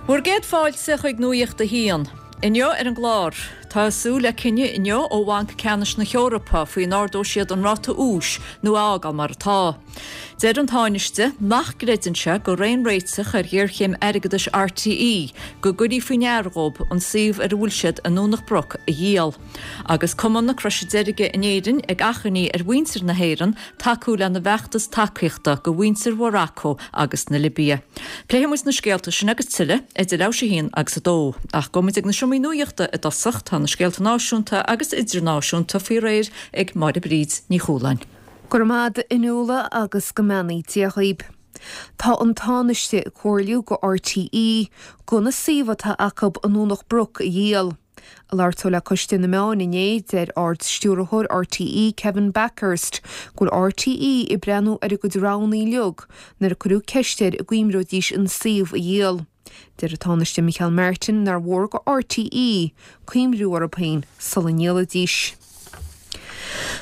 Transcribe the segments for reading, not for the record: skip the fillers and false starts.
Bhur gcéad fáilte chuig Nuacht a hAon. Inniu ar an gclár, tá súil le cinneadh inniu ó Bhanc Ceannais na hEorpa faoi an ardóidh siad an ráta úis nó é a fhágáil mar atá. Deir an Tánaiste nach gcreideann sé gur aon réiteach ar ghéarchéim airgeadais RTÉ go gcuirfí faoi ndeara dhóibh an suíomh ar a bhfuil siad i nDomhnach Broc a dhíol. Agus Cumann na Croise Deirge in Éirinn ag achainí ar mhuintir na hÉireann tacú lena bhfeachtas tacaíochta go mhuintir Mharacó agus na Libia. Pléifidh muid na scéalta sin agus tuilleadh idir leathuair tar éis a haon agus a dó. Ach gabhfaidh muid ag na seomraí nuachta i dtosach, tá na scéalta náisiúnta agus idirnáisiúnta faoi réir ag Máire Bríd Ní Chualáin. Go raibh maith agat a Fhionnuala agus go mbeannaí Dia dhaoib. Tá an Tánaiste ag comhairliú go RTÉ gan an suíomh atá acu i nDomhnach Broc a dhíol. Ag labhairt dó le Coiste na Meán inné, deir Ard-Stiúrthóir RTÉ, Kevin Bakhurst, go bhfuil RTÉ ag breathnú ar a gcuid roghanna uilig nuair a cuireadh ceist air an gcuimreoidís an suíomh a dhíol. Deir an Tánaiste Micheál Martin nár mhór go RTÉ cuimriú orthu féin sula ndíolfaidís.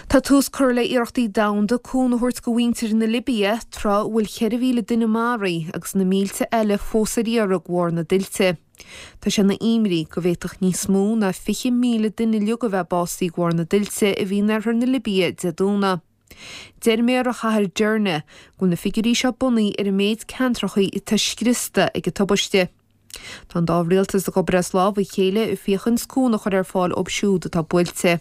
Tá tús curtha le iarrachtaí domhanda cúnamh a thabhairt go mhuintir na Libia tráth a bhfuil 4,000 duine maraithe agus na mílte eile fós ar iarraidh de bharr na dtuilte. Tá sé ina imní go bhféadfadh níos mó ná 20,000 duine uilig a bheith básaithe de bharr na dtuilte a bhí in oirthear na Libia Dé Domhnaigh. Deir méara chathair Derna go bhfuil na figiúirí seo bunaithe ar an méid ceantrachaí atá scriosta ag an tubaiste. Tá an dá rialtas ag obair as lámh a chéile ag féachaint cúnamh a chur ar fáil dóibh siúd atá buailte.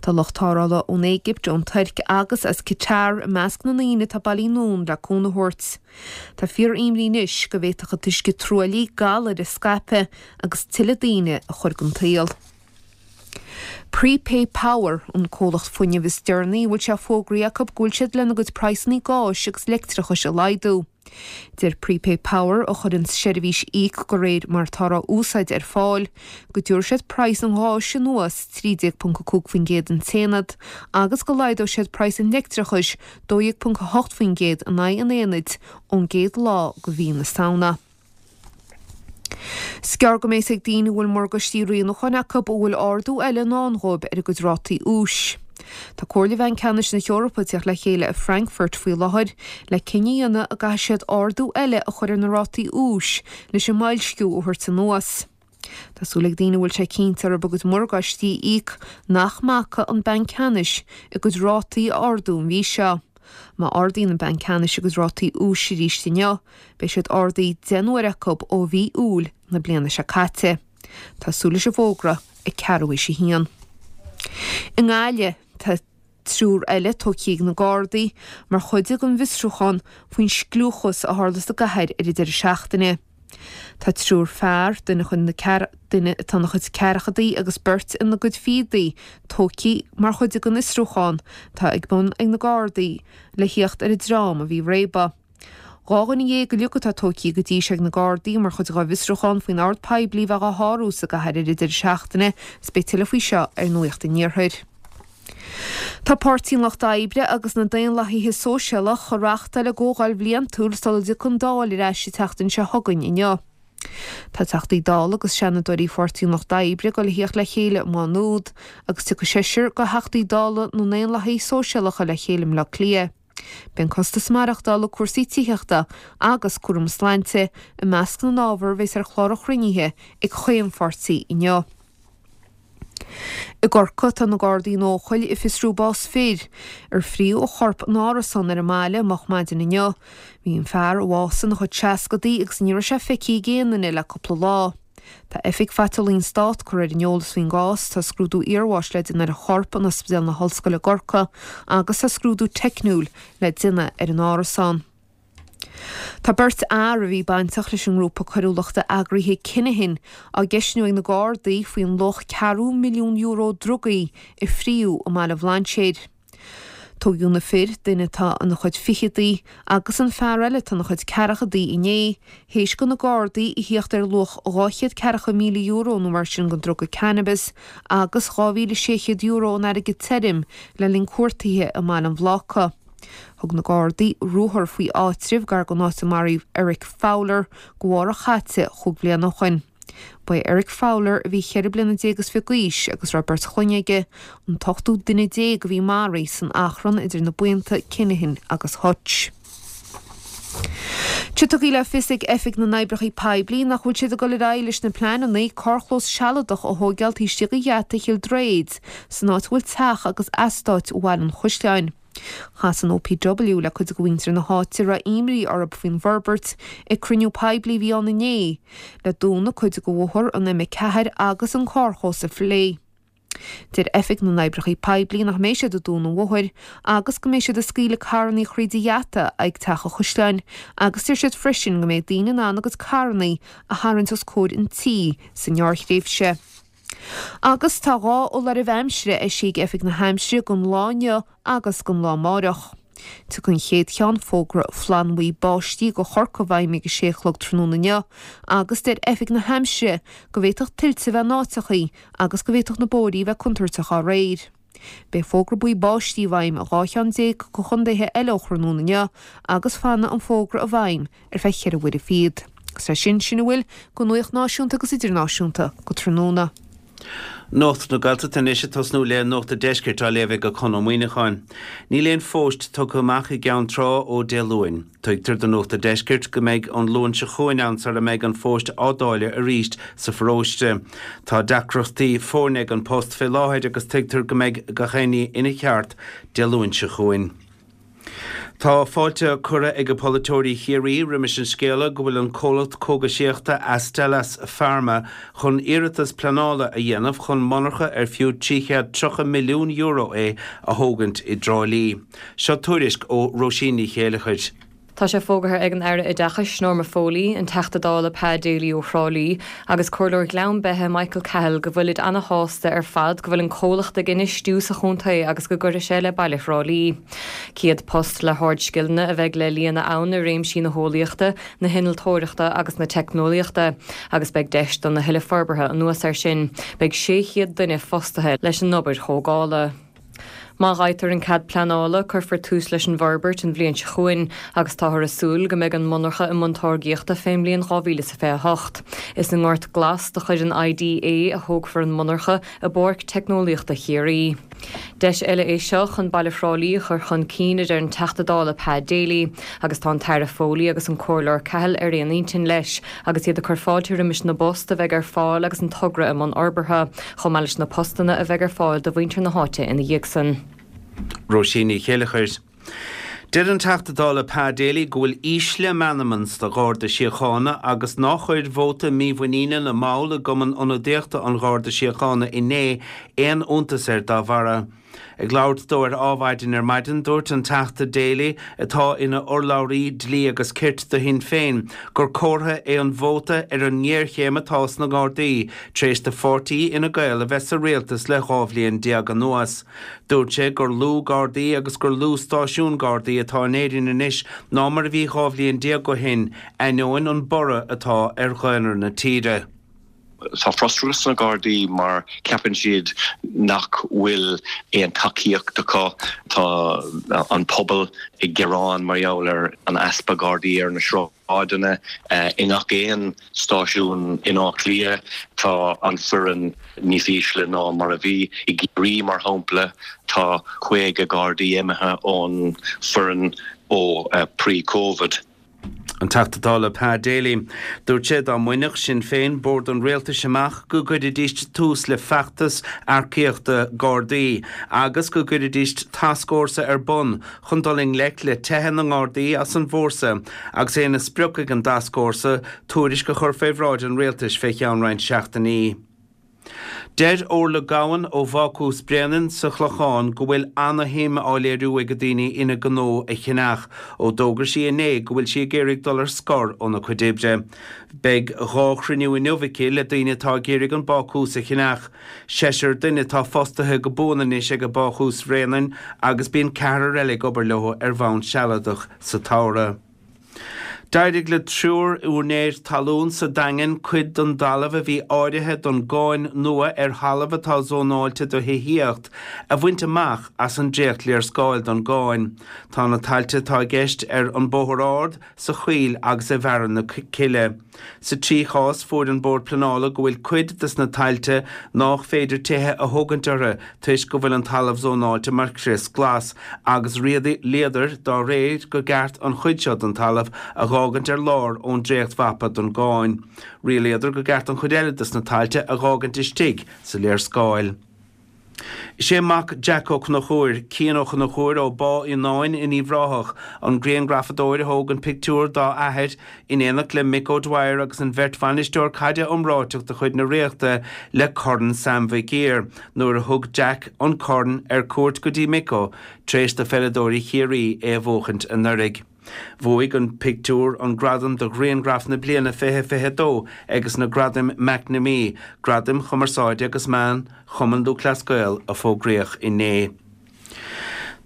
Tá lucht tarrthála ón Éigipt, ón Tuirc agus as Qatar i measc na ndaoine atá bailithe anonn le cúnamh a thabhairt. Tá fíor-imní anois go bhféadfadh an t-uisce truaillithe galair a scaipeadh agus tuilleadh daoine a chur den tsaol. Prepay Power an comhlacht fuinnimh is deireanaí a bhfuil sé fógraithe acu go bhfuil siad lena gcuid praghsanna gáis agus leictreachais a laghdú. Deir Prepay Power, a chuireann seirbhís íoc de réir mar atáthar á úsáid ar fáil, go dtabharfaidh siad praghas an gháis anuas 13.5% an t-aonad agus go laghdóidh siad praghas an leictreachais 12.8% in aghaidh an aonaid ón gcéad lá de mhí na Samhna. Is gearr go mbeidh a fhios ag daoine a bhfuil morgáistí rianúcháin acu an bhfuil ardú eile i ndán dhóibh ar a gcuid rátaí úis. Tá Comhairle Bhanc Ceannais na hEorpa ag teacht le chéile i Frankfurt faoi láthair le cinneadh a dhéanamh an gcaithfidh siad ardú eile a chur ar na rátaí úis leis an mboilsciú a thabhairt anuas. Tá súil ag daoine a bhfuil sé cinnte orthu a gcuid morgáistí a íoc nach mbacfaidh an Banc Ceannais a gcuid rátaí a ardú an mhí seo. Má ardaíonn an Banc Ceannais a gcuid rátaí úis arís inniu, beidh siad ardaithe 10 n-uaire acu ó mhí Iúil na bliana seo caite. Tá súil leis an bhfógra ag ceathrú théis a haon. I nGaillimh, tá triúr eile tógtha ag na Gardaí mar chuid den bhfiosrúchán faoin scliúchas a tharla sa gcathair ar an deireadh seachtaine. Tá triúr fear, duine duine atá ina chuid ceathrachaidí agus beirt ina gcuid fichidí, tógtha mar chuid den fhiosrúchán atá ag bun ag na Gardaí le theacht ar an dream a bhí ag réabadh. 12 dhuine uilig atá tógtha go dtí seo ag na Gardaí mar chuid dá bhfiosrúchán faoin ord poiblí a bheith á shárú sa gcathair ar an deireadh seachtaine is beidh tuilleadh faoi seo ar Nuacht an Iarthair. Tá Páirtí an Lucht Oibre agus na Daonlathaithe Sóisialach ag reáchtáil a gcomhdháil bhliantúil sula dtiocfaidh an Dáil ar ais an tseachtain seo chugainn inniu. Tá Teachtaí Dála agus Seanadóirí Pháirtí an Lucht Oibre ag dul a thíocht le chéile i Maigh Nuad agus tiocfaidh seisear de Theachtaí Dála na nDaonlathaithe Sóisialacha le chéile i mBleá Cliath. Beidh an costas maireachtála, cúrsaí tithíochta agus cúram sláinte i measc na n-ábhar a bheas ar chlár an chruinnithe ag chaon pháirtí inniu. I gCorcaigh, tá na Gardaí in Eochaill ag fiosrú bás fir ar fríodh a chorp in árasán ar an mbaile moch maidin inniu. Bhí an fear a bhásaigh ina chuid seascadaí agus ní raibh sé feicthe ag aon duine le cúpla lá. Tá Oifig Phaiteolaí an Stát curtha ar an eolas faoin gcás, tá scrúdú iarbháis le déanamh ar an chorp in Ospidéal na hOllscoile i gCorcaigh agus tá scrúdú teicniúil le déanamh ar an árasán. Tá beirt fhear a bhí bainteach leis an ngrúpa coiriúlachta eagraithe Kinahan á gceistniú ag na Gardaí faoin luach €250,000 drugaí a fríodh i mBaile Bhlainséir. Tógadh na fir, duine atá ina chuid ficheadaí agus an fear eile atá ina chuid ceathrachaidí inné, théis do na Gardaí a thíocht ar luach €240,000 nó mar sin den druga cannabis agus €2,600 in airgead tirim le linn cuartaithe i mBaile an Bhláca. Thug na Gardaí ruathar faoi áitreabh gar don áit a maraíodh Eric Fowler go mhárach chaite chúig bhliana ó shoin. Ba é Eric Fowler, a bhí cheithre bliana déag is fiche d'aois agus a raibh beirt chlainne aige, an t-ochtú duine déag a bhí maraithe san achrann idir na buíonta Kinahan agus Hutch. Tá tugtha le fios ag Oifig na nOibreacha Poiblí nach bhfuil siad ag dul ar aghaidh leis na pleananna carrchlós sealadach a thóigeáil taobh istigh de gheata Chill Droichid san áit a bhfuil teach agus eastát Bhaile an Chaisleáin. Chas an OPW le cuid de mhuintir na háite a raibh imní orthu faoin bhforbairt ag cruinniú poiblí a bhí ann inné le dúnadh cuid de bhóthar an M4 agus an carrchlós a phlé. Deir Oifig na nOibreacha Poiblí nach mbeidh siad ag dúnadh an bhóthair agus go mbeidh siad ag scaoileadh carrannaí thríd an gheata ag Teach an Chaisleáin agus deir siad freisin go mbeidh daoine in ann a gcuid carrannaí a tharraingt os comhair an tí sa ngearrthréimhse. Agus tá 2 fholáireamh aimsire eisithe ag Oifig na hAimsire don lá inniu agus don lá amáireach. Tiocfaidh an chéad cheann, fógra flannbhuí báistí do Chorcaigh i bhfeidhm ag a sé a chlog tráthnóna inniu agus deir Oifig na hAimsire go bhféadfadh tuilte a bheith in áiteachaí agus go bhféadfadh na bóithrí a bheith contúirteach dá réir. Beidh fógra buí báistí i bhfeidhm i 12 cheann de chontaetha eile ó thráthnóna inniu agus fanfaidh an fógra i bhfeidhm ar feadh cheithre huaire fichead. Agus leis sin, sin a bhfuil de nuacht náisiúnta agus idirnáisiúnta go tráthnóna. Nuacht na Gaeltachta anois ag tosnú le Nuacht an Deiscirt á léamh ag Conn Ó Muíneacháin. Níl aon phost tugtha amach i gCeann Trá ó Dé Luain. Tuigtear do Nuacht an Deiscirt go mbeidh an Luan seo chugainn ann sara mbeidh an phost á dáileadh arís sa pharóiste. Tá deacrachtaí foirne ag An Post fé láthair agus tuigtear go mbeidh gach aon ní ina cheart Dé Luain seo chugainn. Tá fáilte curtha ag polaiteoirí Chiarraí roimis an scéala go bhfuil an comhlacht cógaisíochta Astellas Pharma chun iarratas pleanála a dhéanamh chun monarcha ar fiú €330 milliún é a thógaint i dTrá Lí. Seo tuairisc ó Róisín Ní Chéileachair. Tá sé fógartha ag an Aire Oideachais, Norma Foley, an Teachta Dála Pa Daly ó Thrá Lí agus Comhairleoir Ghleann Beithe Michael Cahill go bhfuilid ana-shásta ar fad go bhfuil an comhlacht ag infheistiú sa chontae agus go gcuirfidh sé le baile Thrá Lí. 100 post le hardscileanna a bheidh le líonadh ann i réimsí na heolaíochta, na hinnealtóireachta agus na teicneolaíochta agus beidh deis do na thuilleadh forbartha anuas air sin. Beidh 600 duine fostaithe leis an obair thógála. Má fhaightear an cead pleanála, cuirfear tús leis an bhforbairt an bhliain seo chugainn agus táthar ag súil go mbeidh an mhonarcha i mbun táirgíochta fén mbliain 2028. Is i nGort Glas de chuid an IDA a thógfar an mhonarcha i bPáirc Teicneolaíochta Chiarraí. Deis eile é seo chun baile Thrá Lí a chur chun cinn, a deir an Teachta Dála Pa Daly, agus tá an tAire Foley agus an Comhairleoir Cahill ar aon intinn leis agus iad ag cur fáilte roimis na bpost a bheidh ar fáil agus an togra i mbun fhorbartha, chomh maith leis na postanna a bheidh ar fáil do mhuintir na háite ina dhiaidh san. Róisín Ní Chéileachair. Deir an Teachta Dála Pa Daly go bhfuil ísle meanman sa Gharda Síochána agus nár chuir vóta mímhuiníne na mball i gCumann Ionadaíochta an Gharda Síochána inné aon iontas air dá bharra. Ag labhairt dó ar Adhmhaidin ar maidin, dúirt an Teachta Daly, atá ina urlabhraí dlí agus cirt do Shinn Féin, gur comhartha é an vóta ar an ngéarchéim atá sna Gardaí tar éis do pháirtí Fhine Gael a bheith sa rialtas le 12 bhliain anuas. Dúirt sé gur lú Gardaí agus gur lú stáisiún Gardaí atá in Éirinn anois ná mar a bhí 12 bhliain ó shin, ainneoin an borradh atá ar dhaonra na tíre. Tá frustrachas sna Gardaí mar ceapann siad nach bhfuil aon tacaíocht acu. Tá an pobal ag gearán mar gheall ar an easpa Gardaí ar na sráideanna. I ngach aon stáisiún in Áth Cliath tá an foireann níos ísle ná mar a bhí. I gCiarraí, mar shampla, tá 50 Gardaí imithe ón foireann ó pre-Covid. An Teachta Dála Pa Daly. Dúirt sé dá mbainfeadh Sinn Féin bord an rialtais amach go gcuirfidís tús le feachtas earcaíochta Gardaí agus go gcuirfidís tascfhórsa ar bun chun dul i ngleic le teitheadh na nGardaí as an bhfórsa agus é ina sprioc ag an dtascfhórsa tuairisc a chur fé bhráid an rialtais fé cheann roinnt seachtainí. Deir Orla Gowan ó Bhácús Bréanainn sa Chlochán go bhfuil ana-shuim á léiriú ag daoine ina gnó a cheannach ó d'fhógair sí inné go bhfuil sí ag iarraidh dul ar scor óna cuid oibre. Beidh 2 chruinniú inniu aici le daoine atá ag iarraidh an bácús a cheannach. Seisear duine atá fostaithe go buan anois ag Bácús Bhréanainn agus bíonn ceathrar eile ag obair leo ar bhonn sealadach sa tsamhradh. D'éirigh le triúr úinéir talún sa Daingean cuid den dtalamh a bhí áirithe don gcáin nua ar thalamh atá zónáilte do thithíocht a bhaint amach as an dréacht-léarscáil don gcáin. Tá na tailte atá i gceist ar An Bóthar Ard, sa Choill agus i bhFearann na Cille. Sa trí chás, fuair an Bord Pleanála go bhfuil cuid des na tailte nách féidir tithe a thógaint orthu toisc go bhfuil an talamh zónáilte mar chrios glas agus rialaíodar dá réir go gceart an chuid seo den talamh a. dh'fhágaint ar lár ón dréachtmhapa don gcáin. Rialaíodar go gceart an chuid eile des na tailte a dh'fhágaint istigh sa léarscáil. Is é mac Jack Ó Conchúir, Cian Ó Conchúir ó Bá Uí Fhionnáin in Uíbh Ráthach, an grianghrafadóir a thóg an pictiúr dá athair in éineacht le Mick O'Dwyer agus an bheirt bhainisteoir caide iomráiteach de chuid na Ríochta le Corn Sam Mhic Uidhir nuair a thug Jack an corn ar cuairt go dtí Micko tar éis do pheileadóirí Chiarraí é a bhuachaint anuraidh. Bhuaigh an pictiúr an gradam do Ghrianghraf na Bliana 2022 ages na Gradaim McNamee, Gradaim Chumarsáide agus Meán Chumann Lúthchleas Gael a fógraíodh inné.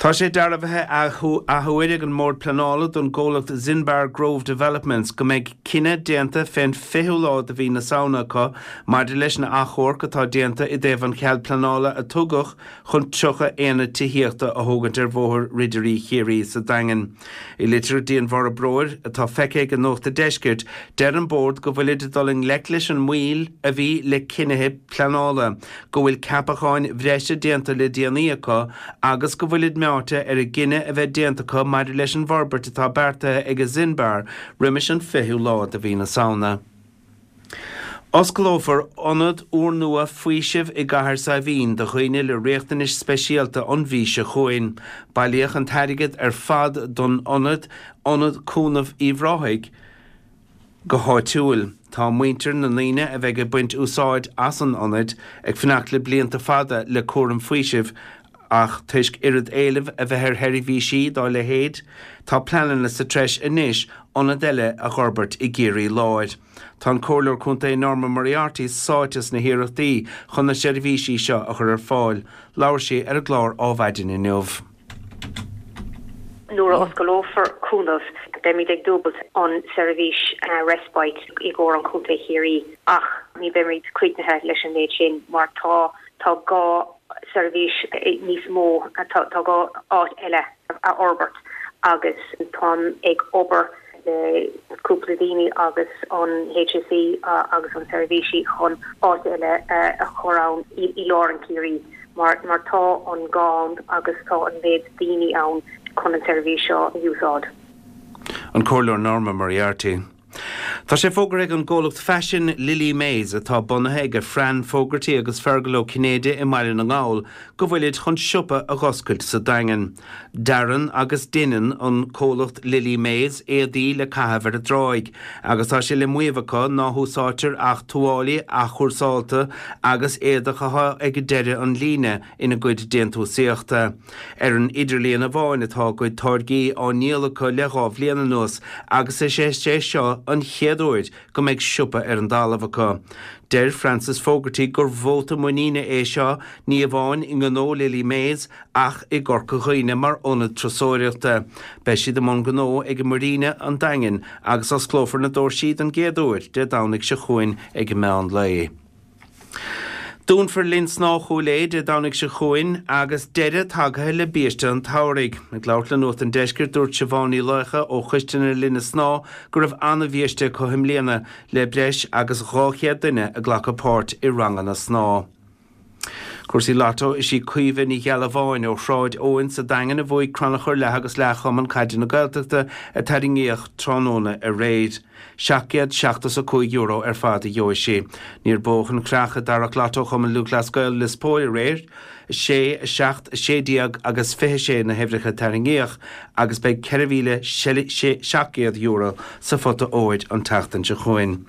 Tá sé dearbhaithe athuair ag an mBord Pleanála don gcomhlacht Zinbar Grove Developments go mbeidh cinneadh déanta fén 20ú lá de mhí na Samhna acu maidir leis an achomharc atá déanta i dtaobh an chead pleanála a tugadh chun 30 aonad tithíochta a thógaint ar Bhóthar Ridirí Chiarraí sa Daingean. I litir go dtí an bhforbróir, atá feicthe ag Nuacht an Deiscirt, deir an Bord go bhfuilid ag dul i ngleic leis an moill a bhí le cinnithe pleanála, go bhfuil ceapacháin bhreise déanta le déanaí acu agus go bhfuilid meáite ar an gcinneadh a bheith déanta acu maidir leis an bhforbairt atá beartaithe ag Zinbar roimis an 20ú lá de mhí na Samhna. Osclófar ionad úrnua faoisimh i gCathair Saidhbhín do dhaoine le riachtanais speisialta an mhí seo chugainn. Bailíodh an t-airgead ar fad don ionad, Ionad Cúnaimh Uíbh Ráthaigh, go háitiúil. Tá muintir na ndaoine a bheidh ag baint úsáid as an ionad ag fanacht le blianta fada le cúram faoisimh ach toisc oiread éilimh a bheith ar sheirbhísí dá leithéid, tá pleananna sa treis anois ionad eile a dh'fhorbairt i gCiarraí Láir. Tá an Comhairleoir Contae Norma Moriarty sáite sna hiarrachtaí chun na seirbhísí seo a chur ar fáil. Labhair sí ar an gclár Ádhmhaidin inniu. Nuair a osclófar Cúnamh, beimid ag dúbailt an seirbhís respite i gcomhair an Chontae Chiarraí ach ní beimid críochnaithe leis an méid sin mar tá tá gá seirbhís níos mó, tá gá áit eile a fhorbairt agus táim ag obair le cúpla daoine agus an HSE agus an seirbhísí chun áit eile a chur ann i lár an Chiarraí mar mar tá an gá ann agus tá an méid daoine ann chun an seirbhís seo a úsáid. An Comhairleoir Norma Moriarty. Tá sé fógartha ag an gcomhlacht faisin Lily Mays, atá bunaithe ag Fran Fogarty agus Fergal Ó Cinnéide i mBaile na nGall, go bhfuilid chun siopa a dh'oscailt sa Daingean. Dearann agus deineann an comhlacht Lily Mays éadaí le caitheamh ar an dtráigh, agus tá sé le maíomh acu ná húsáidtear ach tuáillí athchúrsálta agus éadach atá ag deireadh an líne ina gcuid déantúsaíochta. Ar an idirlíon amháin atá a gcuid táirgí á ndíol acu le dhá bhliain anuas agus is é seo an chéad uair go mbeidh siopa ar an dtalamh acu. Deir Francis Fogarty gur vóta muiníne é seo ní amháin i ngnó Lily Mays ach i gCorca Dhuibhne mar ionad turasóireachta. Beidh siad i mbun gnó ag Muiríne an Daingin agus osclófar na doirsí don gcéad uair Dé Domhnaigh seo chugainn ag meán lae. Dúnfar Linn Snámha Chúil Aodha Dé Domhnaigh seo chugainn agus deireadh tagaithe le biaiste an tsamhraidh. Ag labhairt le Nuacht an Deiscirt, dúirt Siobhán Ní Laocha ó Choiste na Linne Snámha go raibh an-bhiaiste acu i mbliana le breis agus 200 duine ag glacadh páirt i ranganna snámha. Cúrsaí Lotto, Is í Caoimhe Ní Ghealbháin ó Shráid Eoin sa Daingean a bhuaigh crannchur leath agus leath Chumann Caide na Gaeltachta a tarraingíodh tráthnóna aréir. €775 ar fad a gheobhaidh sí. Níor buadh an chreach i dtarrac Lotto Chumann Lúthchleas Gael Lios Póil aréir. 6, 7, 16 agus 26 na huimhreacha a tarraingíodh agus beidh €4,700 sa phota óir an tseachtain seo chugainn.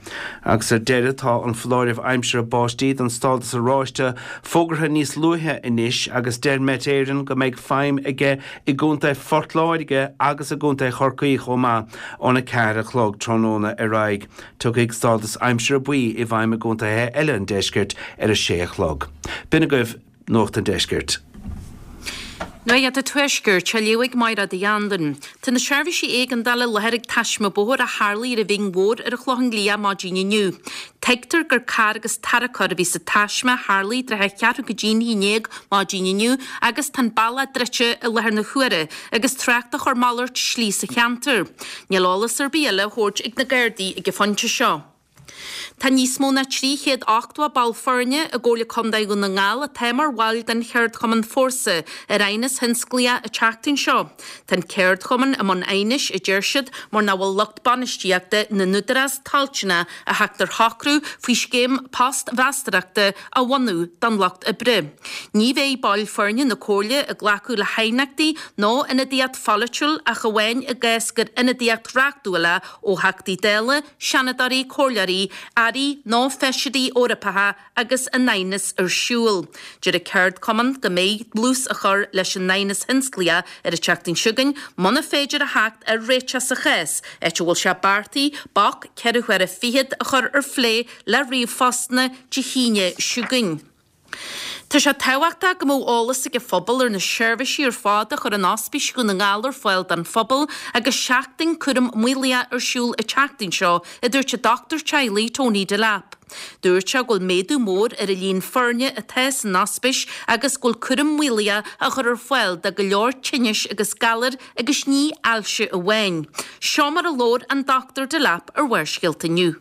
Agus ar deireadh tá an foláireamh aimsire báistí don stádas oráiste fógartha níos luaithe anois agus deir Met Éireann go mbeidh feidhm aige i gContae Phort Láirge agus i gContae Chorcaí chomh maith óna 4 a chlog tráthnóna ar aghaidh. Tiocfaidh stádas aimsire buí i bhfeidhm i gcontaetha eile an deiscirt ar a 6 a chlog. B'in agaibh Nuacht an Deiscirt. Nuacht an Tuaiscirt, á léamh ag Mairéad Uí Anluain. Tá na seirbhísí éigeandála i láthair ag taisme bóthair a tharlaigh ar an Bhinn Mhór ar an Chlochán Liath maidin inniu. Tuigtear gur carr agus tarracóir a bhí sa taisme a tharlaigh i dtrátha cheathrú go dtí'n 11 maidin inniu agus tá an bealach druidte i láthair na huaire agus trácht á chur malairt slí sa cheantar. Níl eolas ar bith eile á thabhairt ag na Gardaí ag an phointe seo. Tá níos mó ná 380 ball foirne i gComhairle Contae Dhún na nGall atá mar bhaill den cheardchumann Fórsa ar aighneas thionsclaíoch an tseachtain seo. Tá an ceardchumann i mbun aighnis, a deir siad, mar nach bhfuil lucht bainistíochta na n-údarás toilteanach a theacht ar shocrú faoi scéim post-mheastóireachta a bhunú don lucht oibre. Ní bheidh baill foirne na Comhairle ag glacadh le haighneachtaí nó ionadaíocht pholaitiúil ach amháin i gcás gur ionadaíocht reachtúil é ó Theachtaí Dála, Seanadóirí, Comhairleoirí, Airí nó Feisirí Eorpacha agus an aighneas ar siúl. Deir an ceardchumann go mbeidh dlús á chur leis an aighneas thionsclaíoch ar an tseachtain seo chugainn muna féidir a theacht ar réiteach sa chás, áit a bhfuil sé beartaithe bac ceithre huaire fichead a chur ar phlé le ríomhphostanna Dé hAoine seo chugainn. Tá sé tábhachtach go mbeadh eolas ag an phobal ar na seirbhísí ar fad a chuireann Ospís Dhún na nGall ar fáil don phobal agus seachtain cúram maolaithe ar siúl an tseachtain seo, a dúirt an dochtúir teaghlaigh Tony Delap. Dúirt sé go bhfuil méadú mór ar an líon foirne atá san ospís agus go bhfuil cúram maolaithe á chur ar fáil do go leor tinnis agus galair agus ní ailse amháin. Seo mar a labhair an Dr Delap ar Bharrscéalta inniu.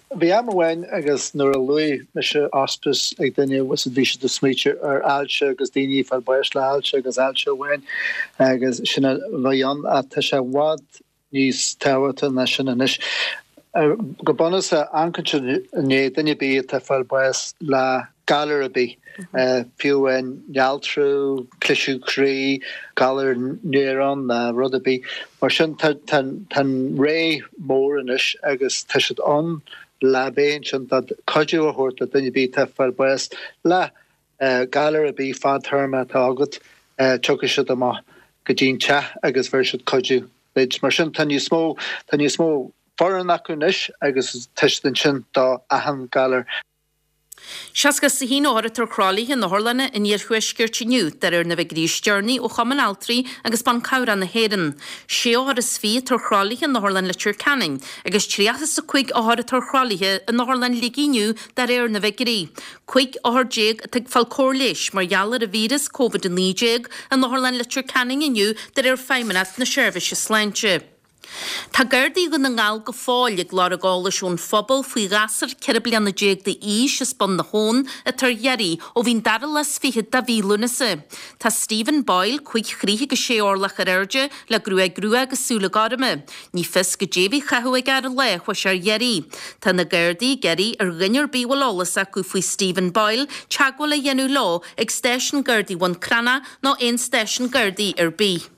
Bhí am amháin agus nuair a luaigh mise ospís ag duine bhí siad ag smaoitiú ar ailse agus daoine ag fáil báis le hailse agus ailse amháin agus sin a bhí ann ach tá sé i bhfad níos tábhachtaí ná sin anois. Go bunúsach, amharcann siad i ndiaidh duine ar bith atá ag fáil báis le galar ar bith, fiú amháin néaltrú, cliseadh croí, galar néarán ná rud ar bith. Mar sin tá an ré mór anois agus tá siad ann le bheith ansin do cuidiú a thabhairt do duine ar bith atá ag fáil báis le galar ar bith fadtéarma atá agat, tiocfaidh siad amach go dtí'n teach agus bheir siad cuidiú duit. Mar sin tá níos mó, tá níos mó foireann acu anois agus tá siad ansin do achan galar. 61 othar atá ar thralaithe in otharlanna an iarthuaiscirt inniu, de réir na bhfigiúirí is deireanaí ó Chumann Altraí agus Ban Cabhrach na hÉireann. Sé othar is fiche atá ar thralaithe in Otharlann Leitir Ceanainn agus 35 othar atá ar thralaithe in Otharlann Shligigh inniu de réir na bhfigiúirí. 15 othar atá ag fáil cóir leighis mar gheall ar an víreas Covid-19 in Otharlann Leitir Ceanainn inniu de réir Feidhmeannacht na Seirbhíse Sláinte. Tá Gardaí Dhún na nGall go fóill ag lorg eolais ón phobal faoi ghasúr 14 bliana d'aois as Bun na hAbhann atá ar iarraidh ó bhí an dara lá is fichead de mhí Lúnasa. Tá Stephen Boyle, 5 throigh agus 6 orlach ar airde, le gruaig rua agus súile gorma. Ní fios goidé a bhí á chaitheamh aige ar an lá a chuaigh sé ar iarraidh. Tá na Gardaí ag iarraidh ar dhuine ar bith a bhfuil eolas acu faoi Stephen Boyle teagmháil a dhéanamh leo ag Stáisiún Gardaí Bhun Cranncha nó aon stáisiún Gardaí ar bith.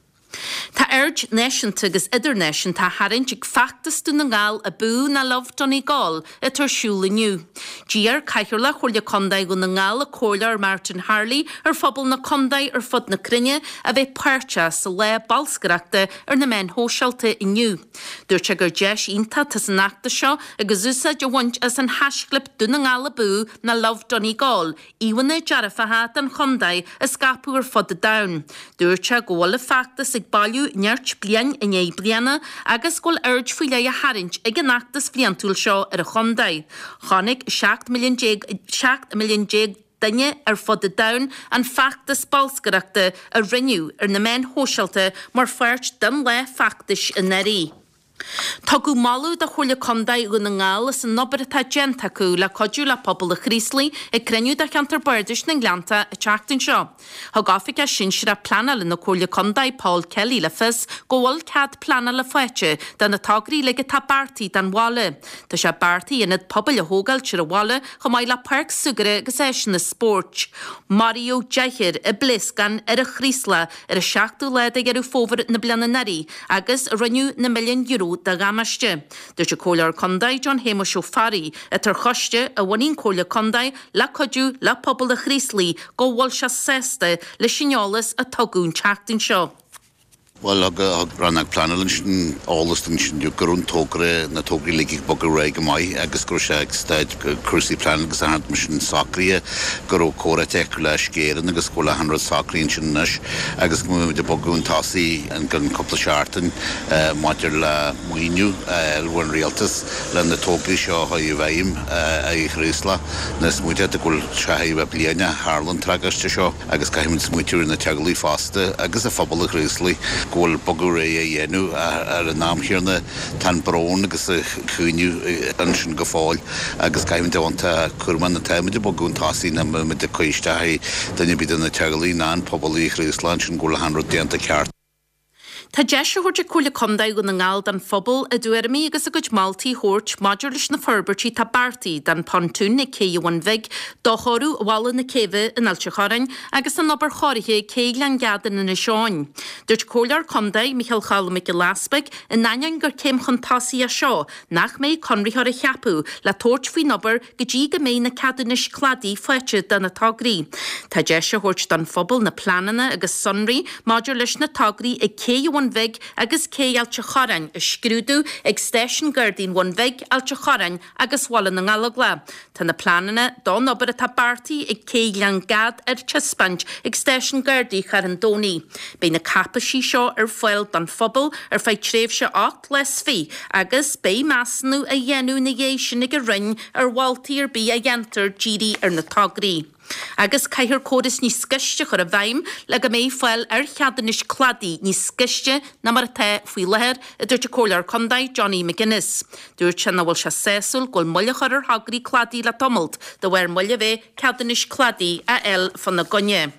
Tá aird náisiúnta agus idirnáisiúnta á tharraingt ag feachtas Dún na nGall Abú ná Love Donegal atá ar siúl inniu. D'iarr Cathaoirleach Chomhairle Contae Dhún na nGall, an Comhairleoir Martin Harley, ar phobal na contae ar fud na cruinne a bheith páirteach sa lá bolscaireachta ar na meáin shóisialta inniu. Dúirt sé gur deis iontach atá san fheachtas seo agus úsáid á bhaint as an haischlib Dún na nGall Abú ná Love Donegal íomhánna dearfacha den chontae a scaipeadh ar fud an domhain. Dúirt sé go bhfuil an feachtas ag bailiú nirt bliain i ndiaidh bliana agus go bhfuil aird faoi leith á tharraingt ag an fheachtas bhliantúil seo ar an chontae. Chonaic 17 milliún 17 milliún duine ar fud an domhain an feachtas bolscaireachta a rinneadh ar na meáin shóisialta mar pháirt den lá feachtais anuraidh. Tugadh moladh do Chomhairle Contae Dhún na nGall as an obair atá déanta acu le cuidiú le pobal an Chraoslaigh ag cruinniú de Cheantar Bardais na nGleannta an tseachtain seo. Thug Oifigeach Sinsearach Pleanála na Comhairle Contae, Paul Kelly le fios go bhfuil cead pleanála faighte do na tograí uilig atá beartaithe don bhaile. Tá sé beartaithe ionad pobail a thógáilt ar an bhaile chomh maith le páirc súgartha agus áiseanna spóirt. Maraíodh deichniúr i bpléascán ar an Chraoslach ar an seachtú lá de Dheireadh Fómhair na bliana anuraidh agus rinneadh na milliúin euro de dhamáiste. Dúirt an Comhairleoir Contae John Shéamuis Ó Fearraigh, atá ar choiste a bhunaigh an Chomhairle Contae le cuidiú le pobal an Chraoslaigh, go bhfuil sé sásta leis an eolas a tugadh an tseachtain seo. Bhuel, thug Rannóg Pleanála ansin eolas dúinn ansin go raibh an togra, na tograí uilig ag bogadh ar aghaidh go maith agus go raibh sé ag staid cúrsaí pleanála agus achan rud mar sin socraithe, go raibh comhráite acu le Uisce Éireann agus go bhfuil achan rud socraithe ansin anois agus go mbeidh muid ag bogadh chun tosaigh i gceann cúpla seachtain maidir le maoiniú a fháil ón Rialtas le na tograí seo a chur i bhfeidhm i Chraoslach. Now smaointeoidh tú go bhfuil sé chóir a bheith bliain ó tharla an tragóid seo. agus caithfimid smaointiú ar na teaghlaigh fosta agus ar phobal an Chraoslaigh. go bhfuil bogadh ar aghaidh á dhéanamh ach ar an am chéanna tá an brón agus an caoineadh ansin go fóill agus caithfimid a bheith iontach cúramach nuair atáimid ag bogadh chun tosaigh nach mbeimid ag cur isteach ar dhuine ar bith de na teaghlaigh ná an pobal i Chraoslach ansin go bhfuil achan rud déanta ceart. Tá deis á thabhairt ag Comhairle Contae Dhún na nGall don phobal a dtuairimí agus a gcuid moltaí a thabhairt maidir leis na forbairtí atá beartaithe don Pontoon ag Cé an Bhun Bhig, do chóiriú Bhalla na Céibhe in Ailt an Chorráin agus don obair chóirithe ag Cé Ghleann Gad in Inis Eoghain. Dúirt Comhairleoir Contae, Micheál Choilm Mac Giolla Easpaig, in ainneoin gur céim chun tosaigh é seo, nach mbeidh conraitheoir á cheapadh le tabhairt faoin obair go dtí go mbeidh na ceadúnais cladaigh faighte do na tograí. Tá deis á thabhairt don phobal na pleananna agus sonraí maidir leis na tograí ag Cé an Bhun Bhig agus Cé Ailt an Chorráin a scrúdú ag Stáisiún Gardaí an Bhun Bhig, Ailt an Chorráin agus Bhaile na nGallóglach. Tá na pleananna don obair atá beartaithe ag Cé Ghleann Gad ar taispeáint ag Stáisiún Gardaí Charn Domhnaigh. Beidh na cáipeisí seo ar fáil don phobal ar feadh tréimhse 18 lá is 20 agus beidh measúnú á dhéanamh ina dhiaidh sin ag an Roinn ar mholtaí ar bith a dhéantar dírithe ar na tograí. Agus caithfear córas níos gaiste a chur i bhfeidhm le go mbeidh fáil ar cheadúnais cladaigh níos gaiste ná mar atá faoi láthair, a dúirt an Comhairleoir Contae Johnny McGuinness. Dúirt sé nach bhfuil sé sásúil go bhfuil moill á chur ar thograí cladaigh le tamalt de bharr moill a bheith ceadúnais cladaigh a fháil fána gcoinne.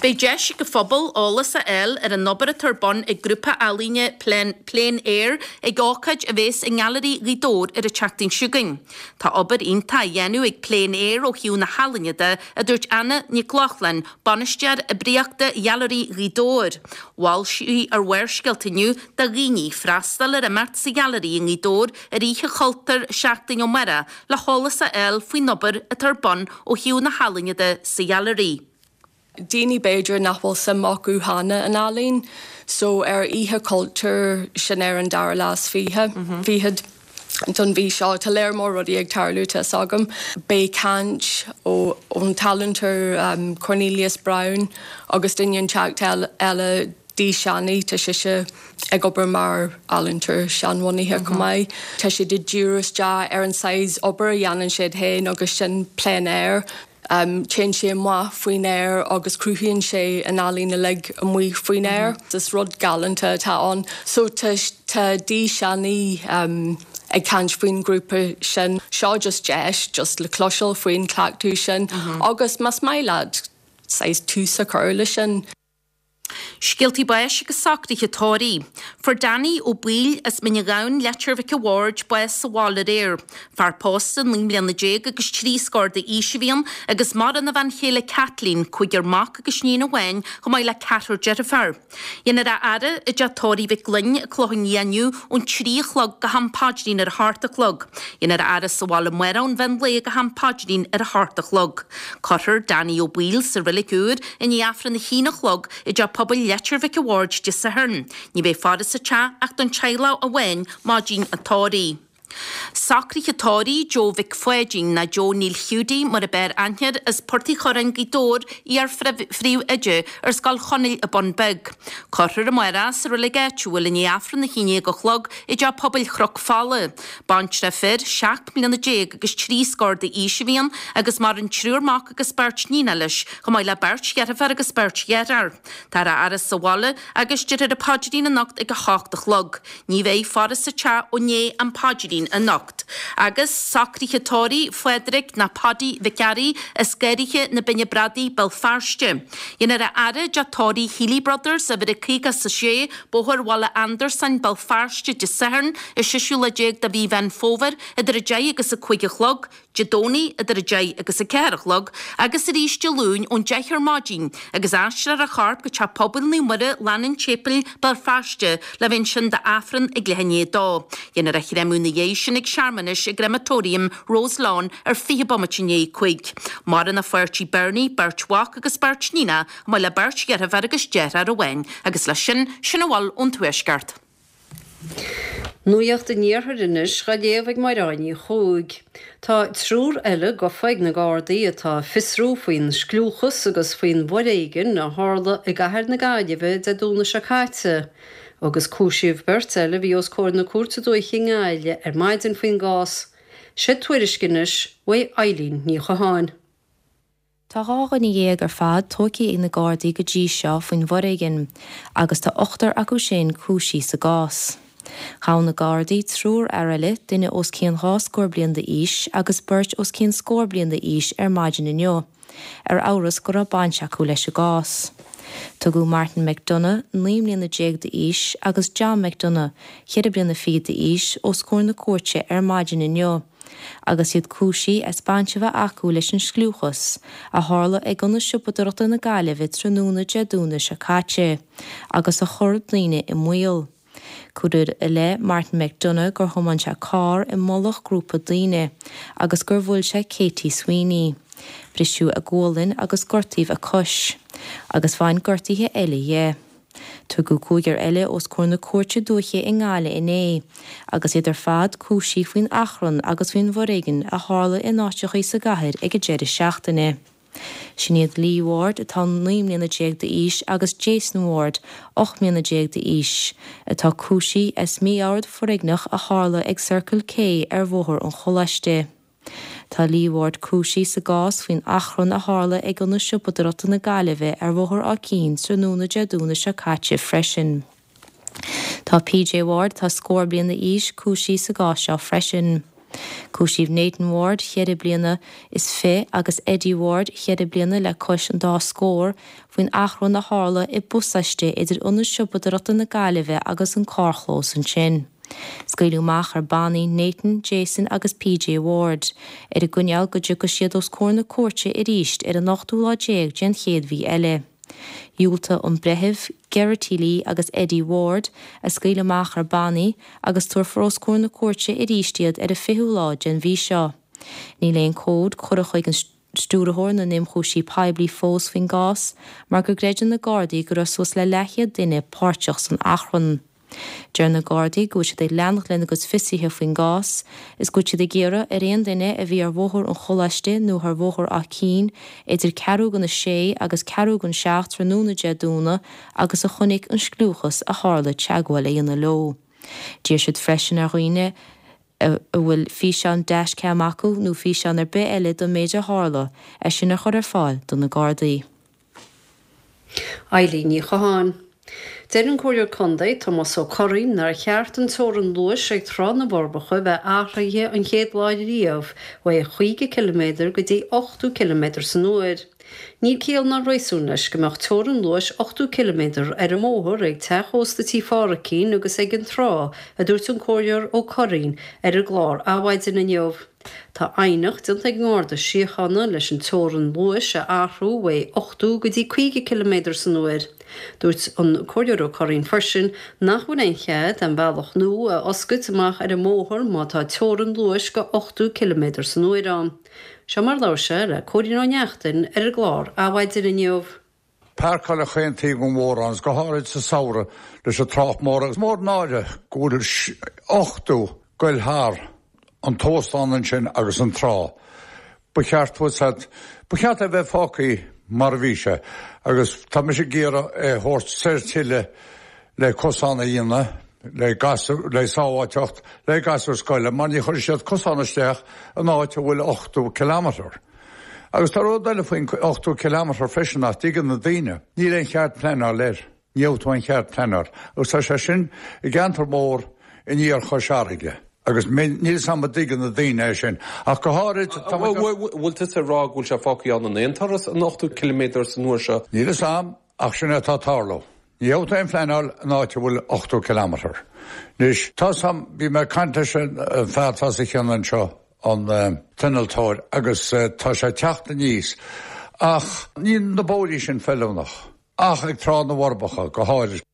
Beidh deis ag an phobal eolas a fháil ar an obair atá ar bun ag grúpa ealaíne Plein Plein Air ag ócáid a bhéas i nGailearaí Ghaoth Dobhair ar an tseachtain seo chugainn. Tá obair iontach á dhéanamh ag Plein Air ó thaobh na healaíne de, a dúirt Anna Nic Lochlainn, Bainisteoir Oibríochta Ghailearaí Ghaoth Dobhair. Mhol sí ar Bharrscéalta inniu do dhaoine freastal ar imeacht sa Ghailearaí i nGaoth Dobhair ar Oíche Chultúir seachtain ó amárach le heolas a fháil faoin obair atá ar bun ó thaobh na healaíne de sa Ghailearaí. Daoine b'fhéidir nach bhfuil suim acu cheana in ealaín so ar Oíche Chultúir sin ar an dara lá is fiche, fichead don mhí seo. Tá léar mór rudaí ag tarlú tá 'fhios agam. Beidh caint ó ón t-ealaíontóir Cornelius Brown agus duine inteacht eile Dee Shanny, tá sise ag obair mar ealaíontóir seanbhunaithe chomh maith. Tá siad ag díriú isteach ar an saghas obair a dhéanann siad féin agus sin plein air. Téann sé amach faoin aer agus cruthaíonn sé an ealaín uilig amuigh faoin aer. Is rud galánta atá ann. So tá tá Dee Shanny ag caint faoin ghrúpa sin. Seo just deis just le cloisteáil faoin chleachtadh sin agus más maith leat saghas tús a chur leis sin. Scéaltaí báis agus socruithe tórraimh. Fuair Danny Ó Baoill as Mín an Ghabhann, Leitir Mhic a' Bhaird, bás sa bhaile aréir. Fear pósta 19 mbliana agus 3 scór d'aois a bhí ann agus maireann a bhean chéile Kathleen, cúigear mac agus iníon amháin, chomh maith le ceathrar deirfiúr. Dhéanfar a fhaire i dteach tórraimh Mhic Gloinn, Clochán Liath inniu ón 3 a chlog go ham paidrín ar a hocht a chlog. Dhéanfar a fhaire sa bhaile amárach ón mheán lae go ham paidrín ar a hocht a chlog. Cuirfear Danny Ó Baoill sa reilig úr i ndiaidh Aifreann a haon a chlog i dTeach Pobail Leitir Mhic a' Bhaird Dé Sathairn. Ní bheidh faire sa teach ach don teaghlach amháin maidin an tórraimh. Socruithe tórraimh Joe Mhic Pháidín ná Joe Neil Hiúdaí mar ab fhearr aithne air as Port Uí Churráin Gaoth Dobhair, iar phríomh-oide ar Scoil Chonaill an Bun Beag. Cuirfear amárach sa reilig áitiúil i ndiaidh Aifreann a haon déag a chlog i dTeach Pobail Chnoc Fola. Baintreach fir, 17 mbliana agus 3 scór d'aois a bhí ann agus maireann triúr mac agus beirt níonacha leis, chomh maith le beirt dheirféar agus beirt dheartháir. Táthar á fhaire sa bhaile agus déarfar an paidrín anocht ag 8 a chlog. Ní bheidh faire sa teach ó ndiaidh an phaidrín anocht. Agus socruithe tórraimh Phádraig ná Paddy Mhic Fhearraigh as Garraithe na Binne Bradaí, Béal Feirste. Dhéanfar a fhaire i dteach tórraimh Healy Brothers, uimhir a 56, Bóthar Bhaile Andarsáin, Béal Feirste, Dé Sathairn, an seisiú lá déag de mhí Mheán Fómhair, idir 10 agus 5 a chlog, Dé Domhnaigh idir 10 agus 4 a chlog, agus arís Dé Luain ón 10 ar maidin, agus aistreofar a chorp go Teach Pobail Naomh Muire, Lána an tSéipéil, Béal Feirste, le bheith ansin d'Aifreann ag leath i ndiaidh a dó. Dhéanfar a chréamadh ina dhiaidh sin ag searmanais i gCrematorium Roselawn ar 20 bomaite i ndiaidh 5. Maireann a pháirtí Bernie, beirt mhac agus beirt níonacha, chomh maith le beirt dheirféar agus deartháir amháin. Agus leis sin, sin a bhfuil ón Tuaisceart. Nuacht an Iarthair anois dhá léamh ag Máire Ní Chuaig. Tá triúr eile gafa ag na Gardaí atá ag fiosrú faoin scliúchas agus faoin bhforéigean a tharla i gcathair na Gaillimhe Dé Domhnaigh seo caite. Agus cúisíodh beirt eile a bhí os comhair na Cúirte Dúiche i nGaillimh ar maidin faoin gcás. Sé tuairisc anois uaidh Eileen Ní Chatháin. Tá 12 dhuine ar fad tóigthe ag na Gardaí go dtí seo faoin bhforéigean agus tá ochtar acu sin cúisithe sa gcás. Ghabh na Gardaí triúr fhear eile, duine os cionn dhá scór bliain d'aois agus beirt os cionn scór bliain d'aois ar maidin inniu, ar amhras go raibh baint acu leis an gcás. Tugadh Martin McDonagh, 19 mbliana d'aois, agus John McDonagh, ceithre bliana fichead d'aois, os comhair na cúirte ar maidin inniu. agus iad cúisithe as baint a bheith acu leis an scliúchas a tharla ag Ionad Siopadóireachta na Gaillimhe tráthnóna Dé Domhnaigh seo caite agus a chuir daoine i mbaol. Cuireadh i leith Martin McDonagh gur thiomáin sé carr i mullach grúpa daoine agus gur bhuail sé Katie Sweeney. Briseadh a gualainn agus gortaíodh a cois, agus bhain gortuithe eile dhe. Tugadh cúigear eile os comhair na Cúirte Dúiche i nGaillimh inné, agus iad ar fad cúisithe faoin achrann agus faoin bhforéigean a tharla in áiteachaí sa gcathair ag an deireadh seachtaine. Sin iad Lee Ward, atá 19 mbliana d'aois, agus Jason Ward, 18 mbliana d'aois, atá cúisithe as mí-ord foréigneach a tharla ag Circle K ar Bhóthar an Choláiste. Tá Lee Ward cúisithe sa gcás faoin achrann a tharla ag Ionad Siopadóireachta na Gaillimhe ar Bhóthar Áth Cinn tráthnóna Dé Domhnaigh seo caite freisin. Tá PJ Ward, atá scór bliain d'aois, cúisithe sa gcás seo freisin. Cúisíodh Nathan Ward, cheithre bliana is fi, agus Eddie Ward, cheithre bliana le cois an dá scór, faoin achrann a tharla i bpasáiste idir Ionad Siopadóireachta na Gaillimhe agus an carrchlós ansin. Scaoileadh amach ar bannaí Nathan, Jason agus PJ Ward, ar an gcoinníoll go dtiocfaidh siad os comhair na cúirte arís ar an ochtú lá déag den chéad mhí eile. Dhiúltaigh an breitheamh Geraghty Lee agus Eddie Ward a scaoileadh amach ar bannaí agus tabharfar os comhair na cúirte arís iad ar an fichiú lá den mhí seo. Níl aon comhad curtha chuig an Stiúrthóir na nIomchúisí Poiblí fós faoin gcás mar go gcreideann na Gardaí go raibh suas le leathchéad duine páirteach san achrann. Deir na Gardaí go bhfuil siad ag leanacht lena gcuid fiosruithe faoin gcás is go bhfuil siad ag iarraidh ar aon duine a bhí ar Bhóthar an Choláiste nó ar Bhóthar Áth Cinn idir ceathrú don a sé agus ceathrú don seacht tráthnóna Dé Domhnaigh agus a chonaic an scliúchas a tharla teagmháil a dhéanamh leo. D'iarr siad freisin ar dhaoine a bhfuil físeán dashcam acu nó físeán ar bith eile don méid a tharla, é sin a chur ar fáil do na Gardaí. Eilín Ní Chatháin. Deir an Comhairleoir Contae, Tomás Ó Curraoin, nár cheart an teorainn luais ag Trá na bhForbacha bheith athraithe an chéad lá riamh ó 50 ciliméadar go dtí 80 ciliméadar san uair. Níl ciall ná réasún leis go mbeadh teorainn luais 80 ciliméadar ar an mbóthar ag teach ósta Tí Phádhraicín agus ag an trá, a dúirt an Comhairleoir Ó Curraoin ar an gclár Adhmhaidin inniu. Tá aighneacht déanta ag an nGarda Síochána leis an teorainn luais a athrú ó 80 go dtí 50 ciliméadar san uair. Dúirt an Comhairleoir Ó Curraoin freisin nach bhfuil aon chead aon bhealach nua a oscailt amach ar an mbóthar má tá teorainn luais go 80 ciliméadar san uair ann. Seo mar a labhair sé le Cóilín Ó Neachtain ar an gclár Adhmhaidin inniu. Páirceáil chaon taobh den bhóthar ann, go háirid sa samhradh leis an trácht mór agus mór an náire go bhfuil 80 goil thar an t-óstán ansin agus an trá. Ba cheart ba cheart é bheith fágtha mar a bhí sé agus tá mise ag iarraidh é a thabhairt soir tuilleadh le cosán a dhéanamh le gasúir, le sábháilteacht le gasúir scoile mar ní chuirfidh siad cosán isteach in áit a bhfuil 80 kilometre. Agus tá rud eile faoin 80 kilometre freisin nach dtuigeann na daoine, níl aon chead pleanáil air, ní gheobhaidh tú aon chead pleanáil agus tá sé sin i gceantar mór in iarthar Chois Fharraige agus níl 'fhios a'm an dtuigeann na daoine é sin ach go háirid tá muid. Bhfuil tusa ag rá go bhfuil sé fágtha ann in aon turas an 80 ciliméadar san uair seo? Níl 'fhios a'm. Ach sin é atá ag tarlú. Ní gheobhaidh tú aon phleanáil in áit a bhfuil 80 kilometre. Anois, tá 'fhios a'm, bhí mé ag caint leis an fear atá os a chionn anseo, an t-innealtóir, agus tá sé ag teacht aníos. Ach níl na bóithrí sin feiliúnach, ach ag Trá na bhForbacha go háirid.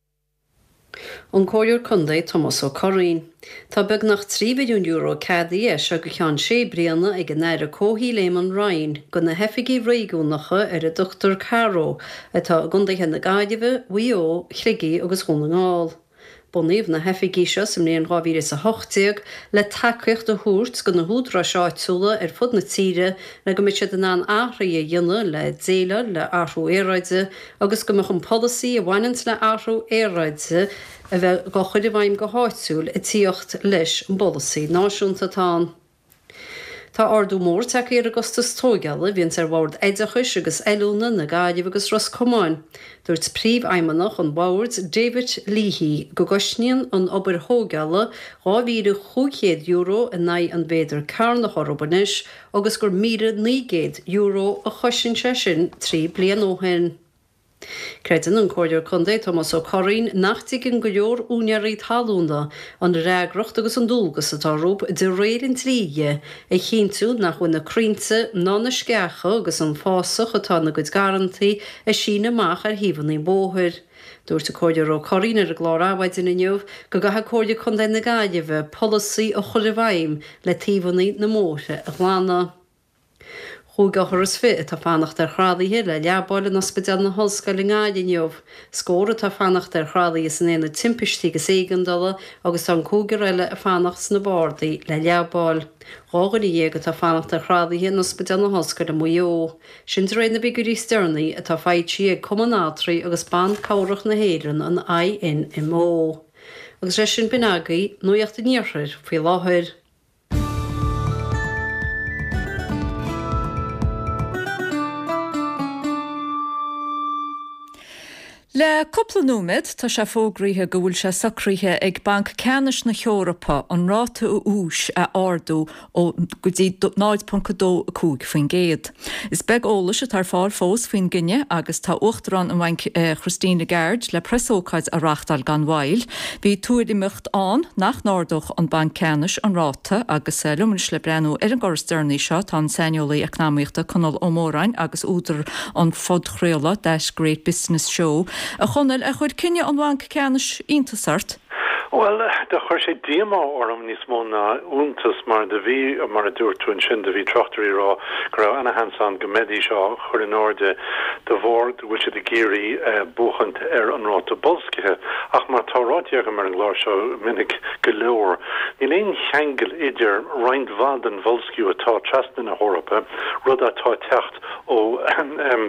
An Comhairleoir Contae Tomás Ó Curraoin. Tá beagnach €3 mhilliún ceadaithe as seo go ceann sé bliana ag an Aire Comhshaoil Eamon Ryan do na hoifigí réigiúnacha ar a dtugtar CARO atá i gcontaetha na Gaillimhe, Mhaigh Eo, Shligigh agus Dhún na nGall. Bunaíodh na hoifigí seo sa mbliain 2018 le tacaíocht a thabhairt do na húdaráis áitiúla ar fud na tíre le go mbeidh siad in ann athruithe a dhéanamh le déileáil le athrú aeráide agus go mbeadh an polasaí a bhaineanns le athrú aeráide a bheith á chur i bhfeidhm go háitiúil ag tíocht leis an bpolasaí náisiúnta atá ann. Tá ardú mór tagtha ar an gcostas tóigeála a bhíonns ar Bhord Oideachais agus Oiliúna na Gaillimhe agus Ros Comáin. Dúirt Príomhfheidhmeannach an Bhoird, David Leahy, go gcosnaíonn an obair thóigeála €2,500 in aghaidh an mhéadar cearnach orthu anois agus gur €1,900 a chosain sé sin 3 bliana ó shin. Creideann an Comhairleoir Contae Tomás Ó Curraoin nach dtuigeann go leor úinéirí talúna an fhreagracht agus an dualgas atá orthu de réir an dlí dhe a chinntiú nach bhfuil na crainnte ná na sceacha agus an fásach atá ina gcuid garrantaí ag síneadh amach ar thaobhanna an bhóthair. Dúirt an Comhairleoir Ó Curraoin ar an gclár Adhmhaidin inniu go gcaithfidh Comhairle Contae na Gaillimhe polasaí a chur i bhfeidhm le taobhanna na mbóithre a ghlanadh. 25 othar atá fanacht ar thralaithe le leabáil in Ospidéal na hOllscoile i nGaillimh inniu. Scór atá fanacht ar thralaithe san Aonad Timpistí agus Éigeandála agus tá an cúigear eile ag fanacht sna bardaí le leabáil. 12 dhuine atá fanacht ar thralaithe in Ospidéal na hOllscoile Maigh Eo. Sin de réir na bhfigiúirí is deireanaí atá foilsithe ag Cumann Altraí agus Ban Cabhrach na hÉireann, an INMO. Agus leis sin b'in agaibh Nuacht an Iarthair faoi láthair. Le cúpla nóiméad, tá sé fógraithe go bhfuil sé socraithe ag Banc Ceannais na hEorpa an ráta úis a ardú ó go dtí 0.25%. Is beag eolais atá ar fáil fós faoin gcinneadh agus tá Uachtarán an Bhainc Christine Lagarde le preasócáid a reáchtáil gan mhoill. Bhí tuairimíocht ann nach n-ardódh an Banc Ceannais an ráta agus liom anois le breathnú ar an gcor is deireanaí seo tá an saineolaí eacnamaíochta Conall Ó Móráin agus údar an phodchraoladh That Great Business Show. A Chonaill, ar chuir cinneadh an Bhainc Ceannais iontas ort? Bhuel, do chuir sé díomá orm níos mó ná iontas mar do bhí, mar a dúirt tú ansin, do bhí tráchtairí ag rá go raibh ana-sheans ann go mbeidís á chur in airde de bharr go bhfuil siad ag iarraidh buachaint ar an ráta boilscithe. Ach mar atá ráite agam ar an gclár seo minic go leor, níl aon cheangal idir roinnt mhaith den bhoilsciú atá trasna na hEorpa, rud atá ag teacht ó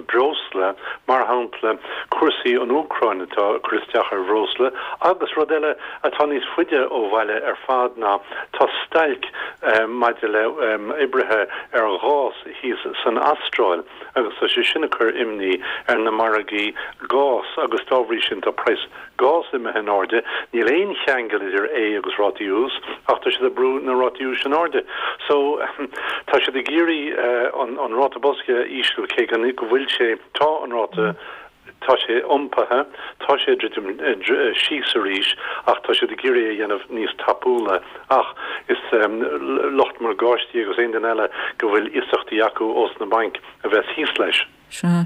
breosla, mar shampla cúrsaí an Úcráin atá ag cur isteach ar bhreosla, agus rud eile atá níos faide ó bhaile ar fad ná tá stailc maidir le oibrithe ar ghás thíos san Astráil. agus tá sé sin ag cur imní ar na margaí gás agus dá bhrí sin tá praghas gás imithe in airde. Níl aon cheangal idir é agus rátaí ús ach tá siad ag brú na rátaí úis in airde. So tá siad ag iarraidh an ráta boilscithe a ísliú cé go bhfuil sé, tá an ráta, tá sé iompaithe, tá sé ag druidim síos arís ach tá siad ag iarraidh é a dhéanamh níos tapúla. Ach is lucht morgáistí agus aon duine eile go bhfuil iasachtaí acu ós na bainc a bheas thíos leis. Sea.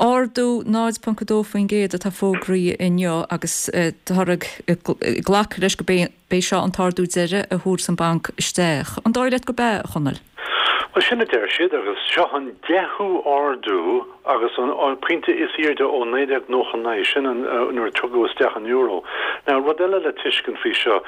Ardú 0.2% atá fógraithe inniu agus táthar ag glacadh leis go b'é seo an t-ardú deiridh a thabharfas an banc isteach. An dóigh leat gurb ea, a Chonaill? Bhuel, sin a deir siad agus seo an deichiú ardú agus an pointe is airde ó 1999, sin an nuair a tugadh isteach an euro. Now, rud eile le tuiscint faoi seo,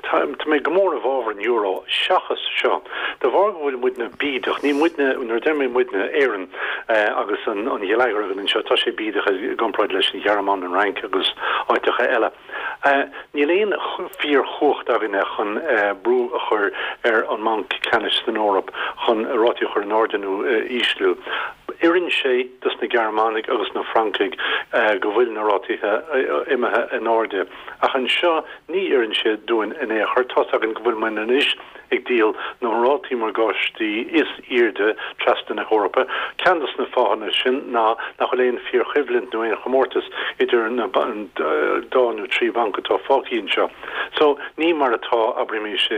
tá mé go mór i bhfabhar an euro seachas seo. De bharr go bhfuil muidne bídeach, ní muidne, nuair a deir mé muidne, Éirinn agus an geilleagar againn anseo, tá sé bídeach i gcomparáid leis an Ghearmáin, an Fhrainc agus áiteacha eile. Níl aon fíorchumhacht againne chun brú a chur ar an mBanc Ceannais san Eoraip chun rátaí a chur in airde nó a ísliú. Oireann sé dos na Gearmánaigh agus na Francaigh go bhfuil na rátaithe imithe in airde. Ach anseo ní oireann sé dúinn in aon chor. Tá's againn go bhfuil muid anois ag díol na rátaí morgáistí is airde trasna na hEorpa. Ceann de na fáthanna sin ná nach bhfuil aon fíorchoimhlint nó aon chomórtas idir na dá nó trí bhanc atá fágtha anseo. So, ní mar atá, abraimis, sa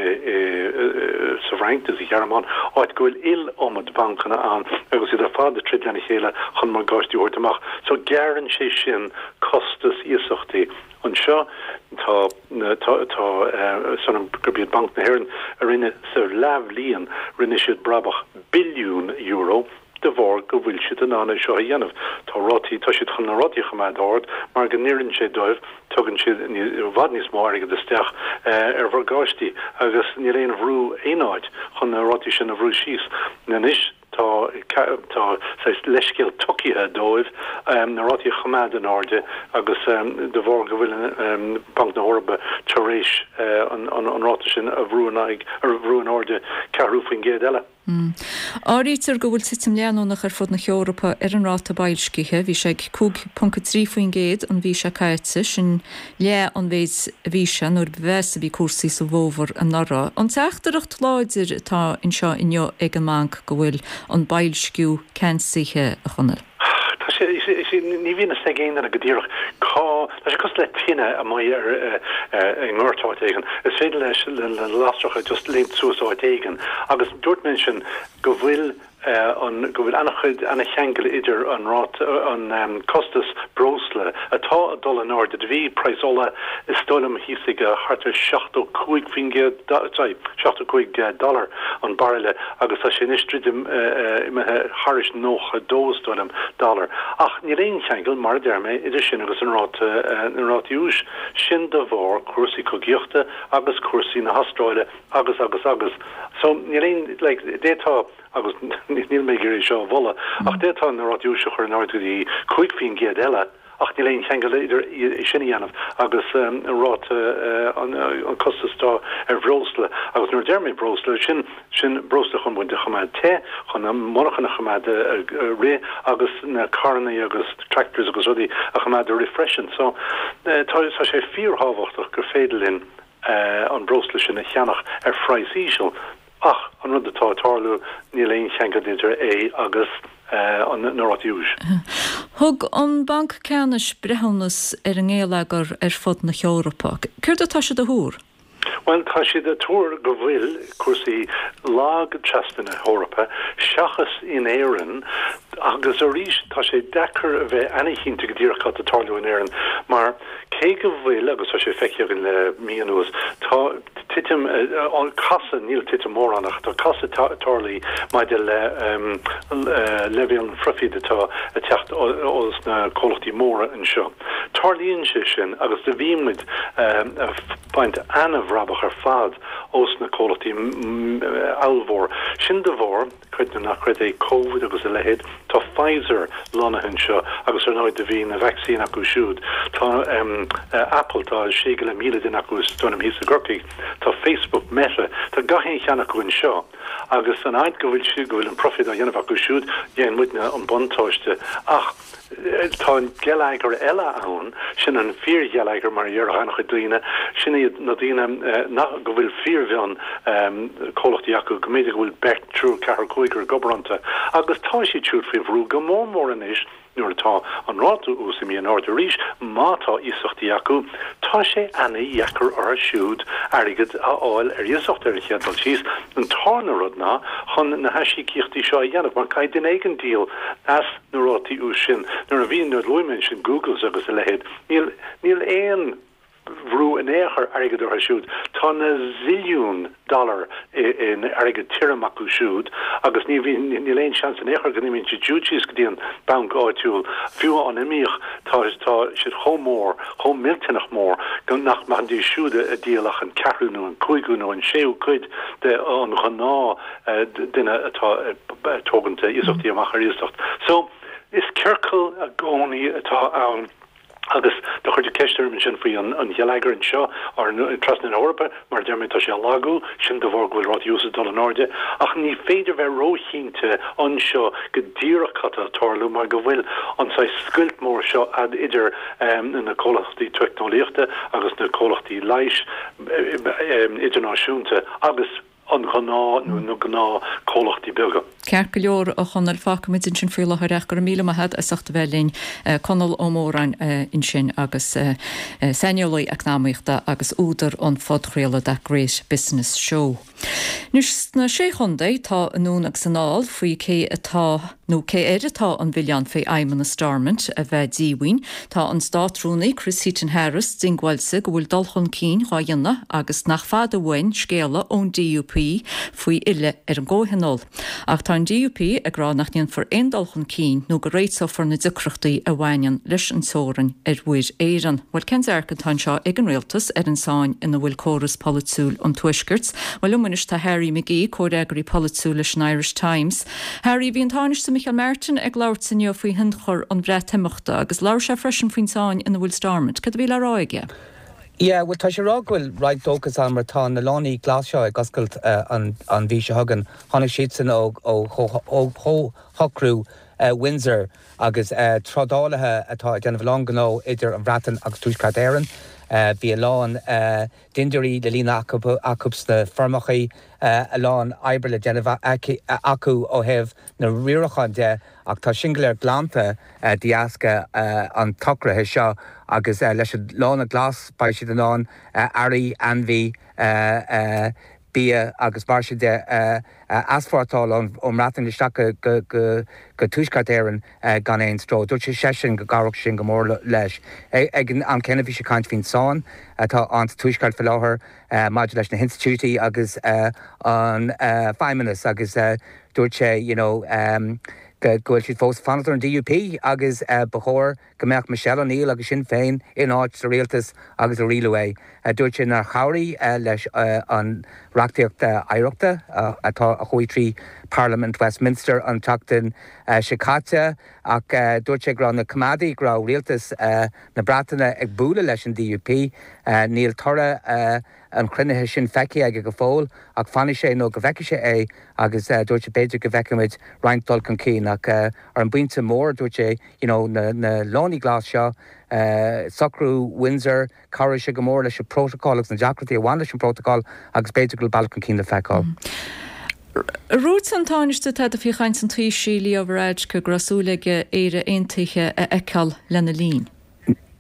bhFrainc nó sa Ghearmáin, áit go bhfuil iliomad bancanna ann agus iad ar fad ag troid lena chéile chun morgáistí a thabhairt amach. So, gearrann sé sin costas iasachtaí. Anseo tá tá tá san gurb iad Banc na hÉireann a rinne sa leathbhliain rinne siad brabach billiún euro de bharr go bhfuil siad in ann é seo a dhéanamh. Tá rátaí tá siad chun na rátaí a choimeád ard mar go n-oireann sé dóibh tugann siad i bhfad níos mó airgead isteach ar mhorgáistí agus níl aon bhrú aon áit chun na rátaí sin a bhrú síos. Anois tá. tá saghas leithscéal tugtha dóibh na rátaí a choimeád in airde agus de bharr go bhfuil Banc na hEorpa tar éis an ráta sin a bhrú in aghaidh, a bhrú in airde 4% eile. Áirítear go bhfuil titim leanúnach ar fud na hEorpa ar an ráta boilscithe. Bhí sé ag 5.3% an mhí seo caite, sin leath an mhéid a bhí sé nuair ba mheasa a bhí cúrsaí sa bhfómhar anuraidh. An teachtaireacht láidir atá anseo inniu ag an mbanc go bhfuil an boilsciú ceansaithe, a Chonaill? Tá sé, ní bhíonn a fhios ag aon duine go díreach cá, tá sé cosúil le tine amuigh ar, i ngort áit éigin. Is féidir leis na lasracha just léimt suas áit éigin agus dúirt mé ansin go bhfuil an, go bhfuil an-chuid, an-cheangal idir an ráta, an costas breosla atá ag dul in airde. Do bhí praghas ola is dóigh liom thíos ag thart ar 75%, sorry, 75 dollar an bairille agus tá sé anois druidim imithe thairis 92 is dóigh liom dollar. Ach níl aon cheangal, mar a deir mé, idir sin agus an ráta, na rátaí úis. Sin de bharr cúrsaí cogaíochta agus cúrsaí na hAstráile agus agus agus. So níl aon, like, d'fhéadfá, agus níl mé ag iarraidh seo a mholadh, ach d'fhéadfá na rátaí úis a chur in airde go dtí 5% eile, Ach níl aon cheangal idir é sin a dhéanamh agus ráta an costas atá ar bhreosla. Agus nuair a deir mé breosla, sin sin breosla chun muid a choimeád te, chun an monarchan a choimeád ag rith agus na carrannaí agus tractors agus rudaí a choimeád ag rith freisin. So tá tá sé fíorthábhachtach gur féidir linn an breosla sin a cheannach ar phraghas íseal. Ach an rud atá ag tarlú, níl aon cheangal idir é agus na rátaí úis. Thug an Banc Ceannais breithiúnas ar an ngeilleagar ar fud na hEorpa. Céard atá siad a thuar? Bhuel, tá siad ag tuar go bhfuil cúrsaí lag trasna na hEorpa, seachas in Éirinn. Agus arís, tá sé deacair a bheith ana-chinnte go díreach cad tá ag tarlú in Éirinn, mar cé go bhfuil, agus tá sé feicthe againn le mí anuas, tá, titim, casadh, níl titim mór ann ach tá casadh tarlaithe maidir le leibhéal an phroifid atá ag teacht ós na comhlachtaí móra anseo. Tarlaíonn sé sin agus do bhí muid ag baint ana-bhrabach ar fad ós na comhlachtaí ollmhór sin de bharr Creid nó ná creid é, Covid agus a leithéid. Tá Pfizer lonnaithe anseo agus ar ndóigh do bhí na vacsaíní acu siúd. Tá Apple, tá sé go leith 1,000 duine acu is dóigh liom thíos i gCorcaigh. Tá Facebook, Meta, tá gach aon cheann acu anseo agus an fhaid go bhfuil siad, go bhfuil an profit á dhéanamh acu siúd, dhéan muidne an buntáiste. Ach. Tá an geilleagar eile ann, sin an fíorgheilleagar mar a déarfadh an-chuid daoine, sin iad na daoine nach, go bhfuil fíormhion comhlachtaí acu, go mb'fhéidir go bhfuil beirt, triúr, ceathrar, cúigear ag obair iontu agus tá siad siúd faoi bhrú go mór mór anois nuair atá an ráta ús imithe in airde arís, má tá iasachtaí acu, tá sé ana-dheacair orthu siúd airgead a fháil ar iasacht ar an chéad dul síos. An tarna rud ná chun na haisíocaíochtaí seo a dhéanamh mar caithfidh duine éigin díol as na rátaí úis sin. Nuair a bhí, nuair a luaigh mé ansin Googles agus a leithéid, níl, níl aon bhrú in aon chor airgid orthu siúd. Tá na zilliún dollar in airgead tirim acu siúd agus ní bhíonn, níl aon seans in aon chor go n-imíonn siad siúd síos go dtí an banc áitiúil. Fiú dá n-imíodh, tá, tá siad chomh mór, chomh millteanach mór go nach mbeidís siúd ag díol ach an ceathrú nó an cúigiú nó an séú cuid de an ghnáth duine atá ag tógaint iasachtaí amach ar iasacht. So, is ciorcal i gcónaí atá ann agus do chuir tú ceist orm ansin faoi an gheilleagar anseo trasna na hEorpa, mar a deir mé tá sé ag lagú, sin de bharr go bhfuil rátaí úis ag dul in airde, ach ní féidir bheith róchinnte anseo go díreach cad tá ag tarlú mar go bhfuil an saghas scoilt mór seo idir na comhlachtaí teicneolaíochta agus na comhlachtaí leighis idirnáisiúnta agus an ghnáth nó na gnáth comhlachtaí beaga. Ceart go leor, a Chonaill, fágfaimid ansin faoi láthair ach go raibh míle maith agat as ucht a bheith linn. Conall Ó Móráin ansin agus saineolaí eacnamaíochta agus údar an phodchraoladh That Great Business Show. Anois sna Sé Chontae tá anonn agus anall faoi cé atá. nó cé air atá an milleán fé fheidhmeannas Stormont a bheith díomhaoin. Tá an Státrúnaí Chris Heaton-Harris diongbháilte go bhfuil dul chun cinn dhá dhéanamh agus nach fada uainn scéala ón DUP faoi fhilleadh ar an gcomhthionól. Ach tá an DUP ag rá nach ndéanfar aon dul chun cinn nó go réiteofar na deacrachtaí a bhaineann leis an teorainn ar Mhuir Éireann. Bhuel, cén dearcadh atá anseo ag an Rialtas ar an tsáinn ina bhfuil córas polaitiúil an Tuaiscirt? Bhuel, liom anois tá Harry McGee, comhfhreagraí polaitiúil leis an Irish Times. Harry, bhí an Tánaiste Micheál Martin ag labhairt inniu faoi thionchar an Bhreatimeachta agus labhair sé freisin faoin tsáinn ina bhfuil Stormont. Cad a bhí le rá aige? Yeah, bhuel tá sé ag rá go bhfuil roinnt dóchas ann mar tá na lánaí glas seo ag oscailt an mhí seo chugainn. Tháinig siadsan ó chomhshocrú Windsor agus trádálaithe atá ag déanamh a lán gnó idir an Bhreatain agus Tuaisceart Éireann. Bhí a lán dindiúirí le líonadh acu sna feirmeachaí, a lán oibre le déanamh acu ó thaobh na riaracháin de ach tá sin go léir glanta de dheasca an tsocraithe seo agus leis an lána glas beidh siad in ann earraí, ainmhí, bia agus mar sin de a easpórtáil ón mBreatain isteach go Tuaisceart Éireann gan aon stró. Dúirt sé seisean go gcabhródh sin go mór leis. Ag an am céanna bhí sé ag caint faoin tsáinn atá ann sa Tuaisceart faoi láthair maidir leis na hinstitiúidí agus an feidhmeannas agus dúirt sé you know go bhfuil siad fós ag fanacht ar an DUP agus ba chóir go mbeadh Michelle O'Neill agus Sinn Féin in áit sa rialtas agus ag rialú é. Dúirt sé nár chabhraigh leis an reachtaíocht oidhreachta atá a chuaigh trí Parlaimint Westminster an tseachtain seo caite ach dúirt sé go raibh na coimeádaigh, go raibh rialtas na Breataine ag bualadh leis an DUP. Níl toradh an chruinnithe sin feicthe aige go fóill ach fanfaidh sé nó go bhfeicfidh sé é agus dúirt sé b'fhéidir go bhfeicfimid roinnt dul chun cinn ach ar an bpointe mór dúirt sé you know na na lánaí glas seo, socrú Windsor, cabhróidh sé go mór leis an bprótacal agus na deacrachtaí a bhain leis an bprótacal agus b'fhéidir go bhfuil bealach chun cinn le feiceáil. Ar dhúirt an Tánaiste tada faoi chaint an Taoisigh, Leo Varadkar, go raibh súil aige Éire Aontaithe a fheiceáil lena linn?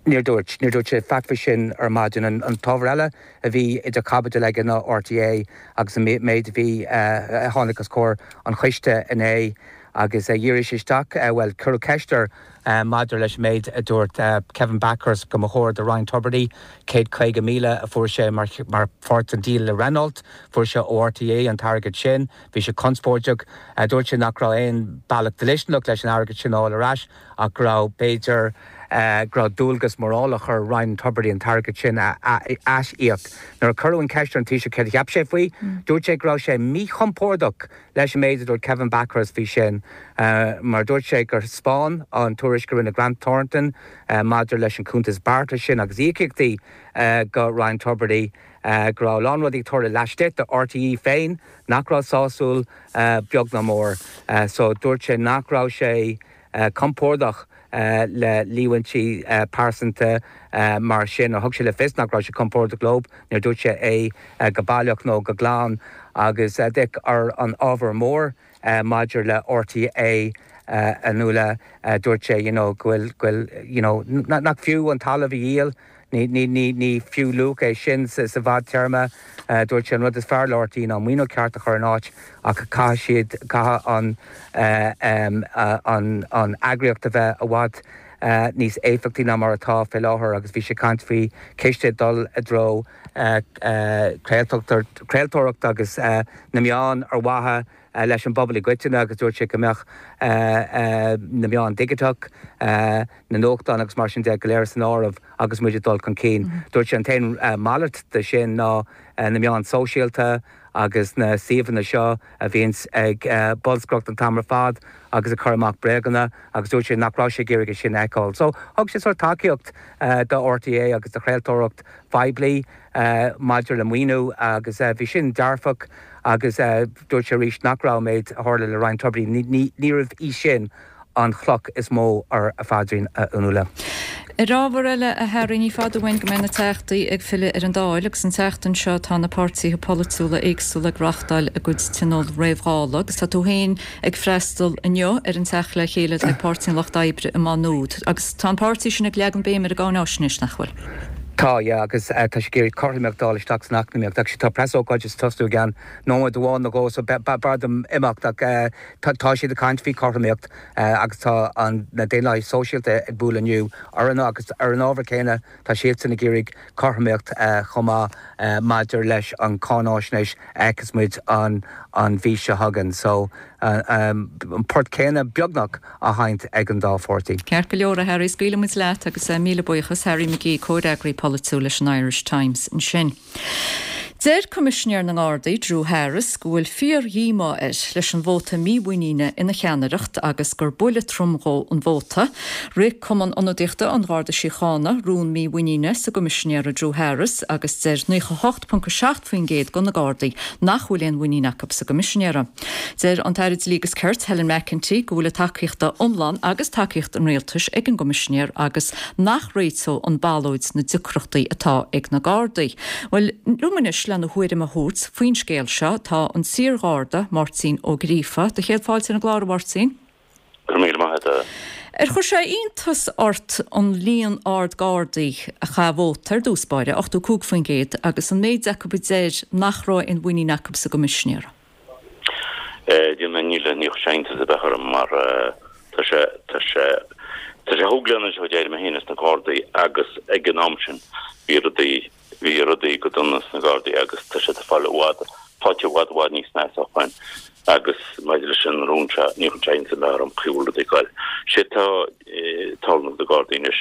Níor dúirt. Níor dúirt sé faic faoi sin ar maidin. An t-ábhar eile a bhí idir chaibidil aige ná RTÉ agus an méid a bhí, a tháinig os comhair an choiste inné agus dhírigh sé isteach, bhuel, cuireadh ceist air maidir leis an méid a dúirt Kevin Bakhurst go mba chóir do Ryan Tubridy 150,000 a fuair sé mar pháirt den díol le Renault, fuair sé ó RTÉ an t-airgead sin. Bhí sé conspóideach. Dúirt sé nach raibh aon bealach dlisteanach leis an airgead sin a fháil ar ais. ach go raibh, b'fhéidir, go raibh dualgas morálach ar Ryan Tubridy an t-airgead sin a aisíoc. Nuair a cuireadh an cheist ar an Taoiseach céard a cheap sé faoi, dúirt sé go raibh sé míchompordach leis an méid a dúirt Kevin Bakhurst faoi sin mar dúirt sé gur thaispeáin an tuairisc a rinne Grant Thornton maidir leis an cuntas beartais sin agus íocaíochtaí go Ryan Tubridy go raibh a lán rudaí ag tarlú laistigh de RTÉ féin nach raibh sásúil beag ná mór. So dúirt sé nach raibh sé compordach le líomhaintí pearsanta mar sin, nó thug sé le fios nach raibh sé compordach leo, níor dúirt sé é go baileach nó go glan. Agus d'fhéach ar an ábhar mór maidir le RTÉ a Nuala, dúirt sé you know go bhfuil, go bhfuil you know nach fiú an talamh a dhíol, Ní fiú luach é sin sa bhfadtéarma. Dúirt sé an rud is fearr le RTÉ ná maoiniú ceart a chur in áit ach caithfidh siad, caithfidh an an eagraíocht a bheith i bhfad níos éifeachtaí ná mar atá fé láthair agus bhí sé ag caint faoi chiste ag dul i dtreo craoltóireacht agus na meáin ar mhaithe leis an bpobal i gcoitinne agus dúirt sé go mbeadh na meáin dhigiteach, na nuachtáin agus mar sin de go léir san áireamh agus muid ag dul chun cinn. Dúirt sé an t-aon mhalairt de sin ná na meáin sóisialta agus na suíomhanna seo a bhíonns ag bolscaireacht an t-am ar fad agus ag cur amach bréaganna agus dúirt sé nach raibh sé ag iarraidh é sin a fheiceáil. So thug sé sórt tacaíocht do RTÉ agus do chraoltóireacht phoiblí maidir le maoiniú agus bhí sin dearfach agus dúirt sé arís nach raibh an méid a tharla le Ryan Tubridy, níorbh í sin an chloch is mó ar a phaidrín, a Fhionnuala. Ar ábhar eile, a Harry, ní fada uainn go mbeidh na Teachtaí ag filleadh ar an Dáil agus an tseachtain seo tá na páirtithe polaitiúla éagsúla ag reáchtáil a gcuid tionól réamh-Dhála agus tá tú féin ag freastal inniu ar an teacht le chéile atá ag Páirtí an Lucht Oibre i Má Nuad agus tá an páirtí sin ag leagan béim ar an gcáináisnéis, nach bhfuil? Tá, yeah, agus tá sé ag iarraidh cothromaíocht a fháil isteach san eacnamaíocht. Actually tá preasócáid ag tosnú i gceann nóiméad amháin nó dhó so b'fhearr dom imeacht ach tá siad ag caint faoi chothromaíocht agus tá an na Daonlathaithe Sóisialta ag bualadh inniu ar an agus ar an ábhar céanna tá siadsan ag iarraidh cothromaíocht chomh maith maidir leis an cáináisnéis a fheicfeas muid an an mhí seo chugainn. So an port céanna beagnach á sheinnt ag an dá pháirtí. Ceart go leor, a Harry, scaoilfidh muid leat agus míle buíochas. Harry McGee, comhfhreagraí polaitiúil leis an Irish Times ansin. Deir Coimisinéir na nGardaí, Drew Harris, go bhfuil fíor-dhíomá air leis an vóta mímhuiníne ina cheannaireacht agus gur buille trom dhó an vóta. Rith Cumann Ionadaíochta an Gharda Síochána rún mímhuiníne sa gCoimisinéara Drew Harris agus deir 98.7% de na Gardaí nach bhfuil aon mhuinín acu sa gCoimisinéara. Deir an tAire Dlí agus Cirt, Helen McEntee, go bhfuil a tacaíocht iomlán agus tacaíocht an Rialtais ag an gCoimisinéir agus nach réiteodh an ballóid na deacrachtaí atá ag na Gardaí. Bhuel, liom anois lena thuairim a thabhairt faoin scéal seo tá an t-iar-Gharda, Máirtín Ó Gríofa. Do chéad fáilte ar an gclár, a Mháirtín. Go raibh míle maith agat. Ar chuir sé iontas ort an líon ard Gardaí a chaith vóta ar dtús báire, 85%, agus an méid acu a deir nach raibh aon mhuinín acu sa gCoimisinéir? Déanfaidh níl ní chuir sé iontas ar bith orm mar tá sé tá sé tá sé chúig bliana anois ó d'éirigh mé féin as na Gardaí agus ag an am sin bhí rudaí bhí rudaí go dona sna Gardaí agus tá siad ag fáil i bhfad faighte i bhfad i bhfad níos measa ó shoin agus maidir leis an rún seo ní chuir sé iontas ar bith orm chaoi a bhfuil rudaí ag goil. Sé tá tarlú do Gardaí anois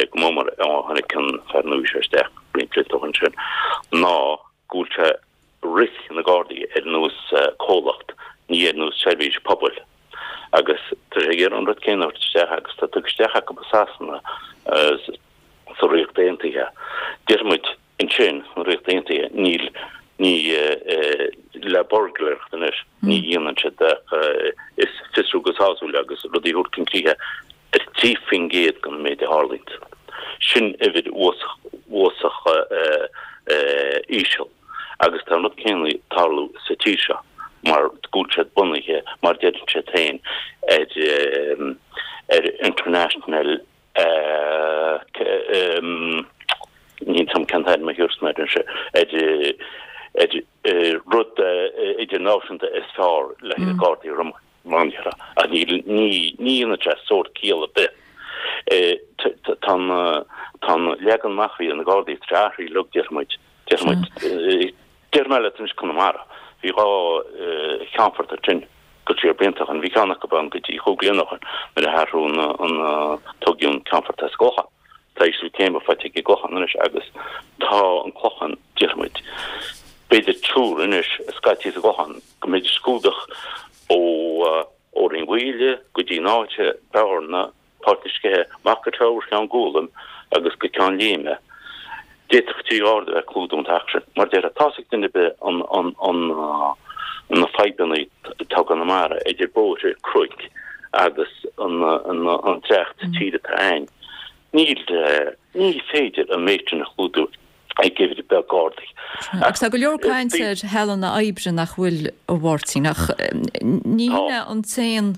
go mór mór ó tháinig an fear nua seo isteach roinnt blianta ó shoin sin ná go bhfuil sé rith na Gardaí ar nós comhlacht, ní ar nós seirbhís pobail. Agus tá sé ag iarraidh an rud céanna a thabhairt isteach agus tá tugtha isteach acu i Sasana, sa Ríocht Aontaithe. Deir muid ansin sna Ríocht Aontaithe níl, ní le buirgléireacht anois, ní dhéanann siad ach is fiosrú go sásúil agus rudaí a thabhairt chun críche ar 3% den méid a tharlaíonn. Sin uimhir uafásach íseal agus tá an rud céanna ag tarlú sa tír seo mar go bhfuil siad bunaithe, mar deireann siad féin, ar ar international níl 'fhios a'm cén t-ainm a thiúrfas mé air ar rud idirnáisiúnta is fearr le haghaidh Gardaí roghnaithe ach ní ní dhéanann sé sórt ciall ar bith. Tá an tá an leagan amach a bhí ar na Gardaí tar éis athrú uilig déarfaidh muid déarfaidh muid déarfaidh mé leat anois Conamara bhí 2 cheannfort ansin go siar blianta ó shoin bhí ceann acu ann go dtí chúig bliana ó shoin nuair a athrú an an toghadh an ceannfort as an gClochán. Tá ísliú céime faighte ag an gClochán anois agus tá an Clochán déarfaidh muid b'fhéidir triúr anois scaití sa gClochán go mbeidís ag clúdach ó Rinn Mhaoile go dtí an áit, Bearna, Páirc na Sceiche, amach go Teamhair Cheann Gualaim agus go Ceann Léime. D'fhéadfadh 3 gharda a bheith ag clúdú an t-achar sin. Mar déarfá, tá's ag duine ar bith an na fadhbanna atá i gConamara idir bóithre, cnoic agus an trácht tíre atá ann. Níl, ní féidir an méid sin a chlúdú. ag uimhir beag Gardaí. Agus tá go leor caint ar shealanna oibre nach bhfuil, a Mháirtín, ach ní hin é an t-aon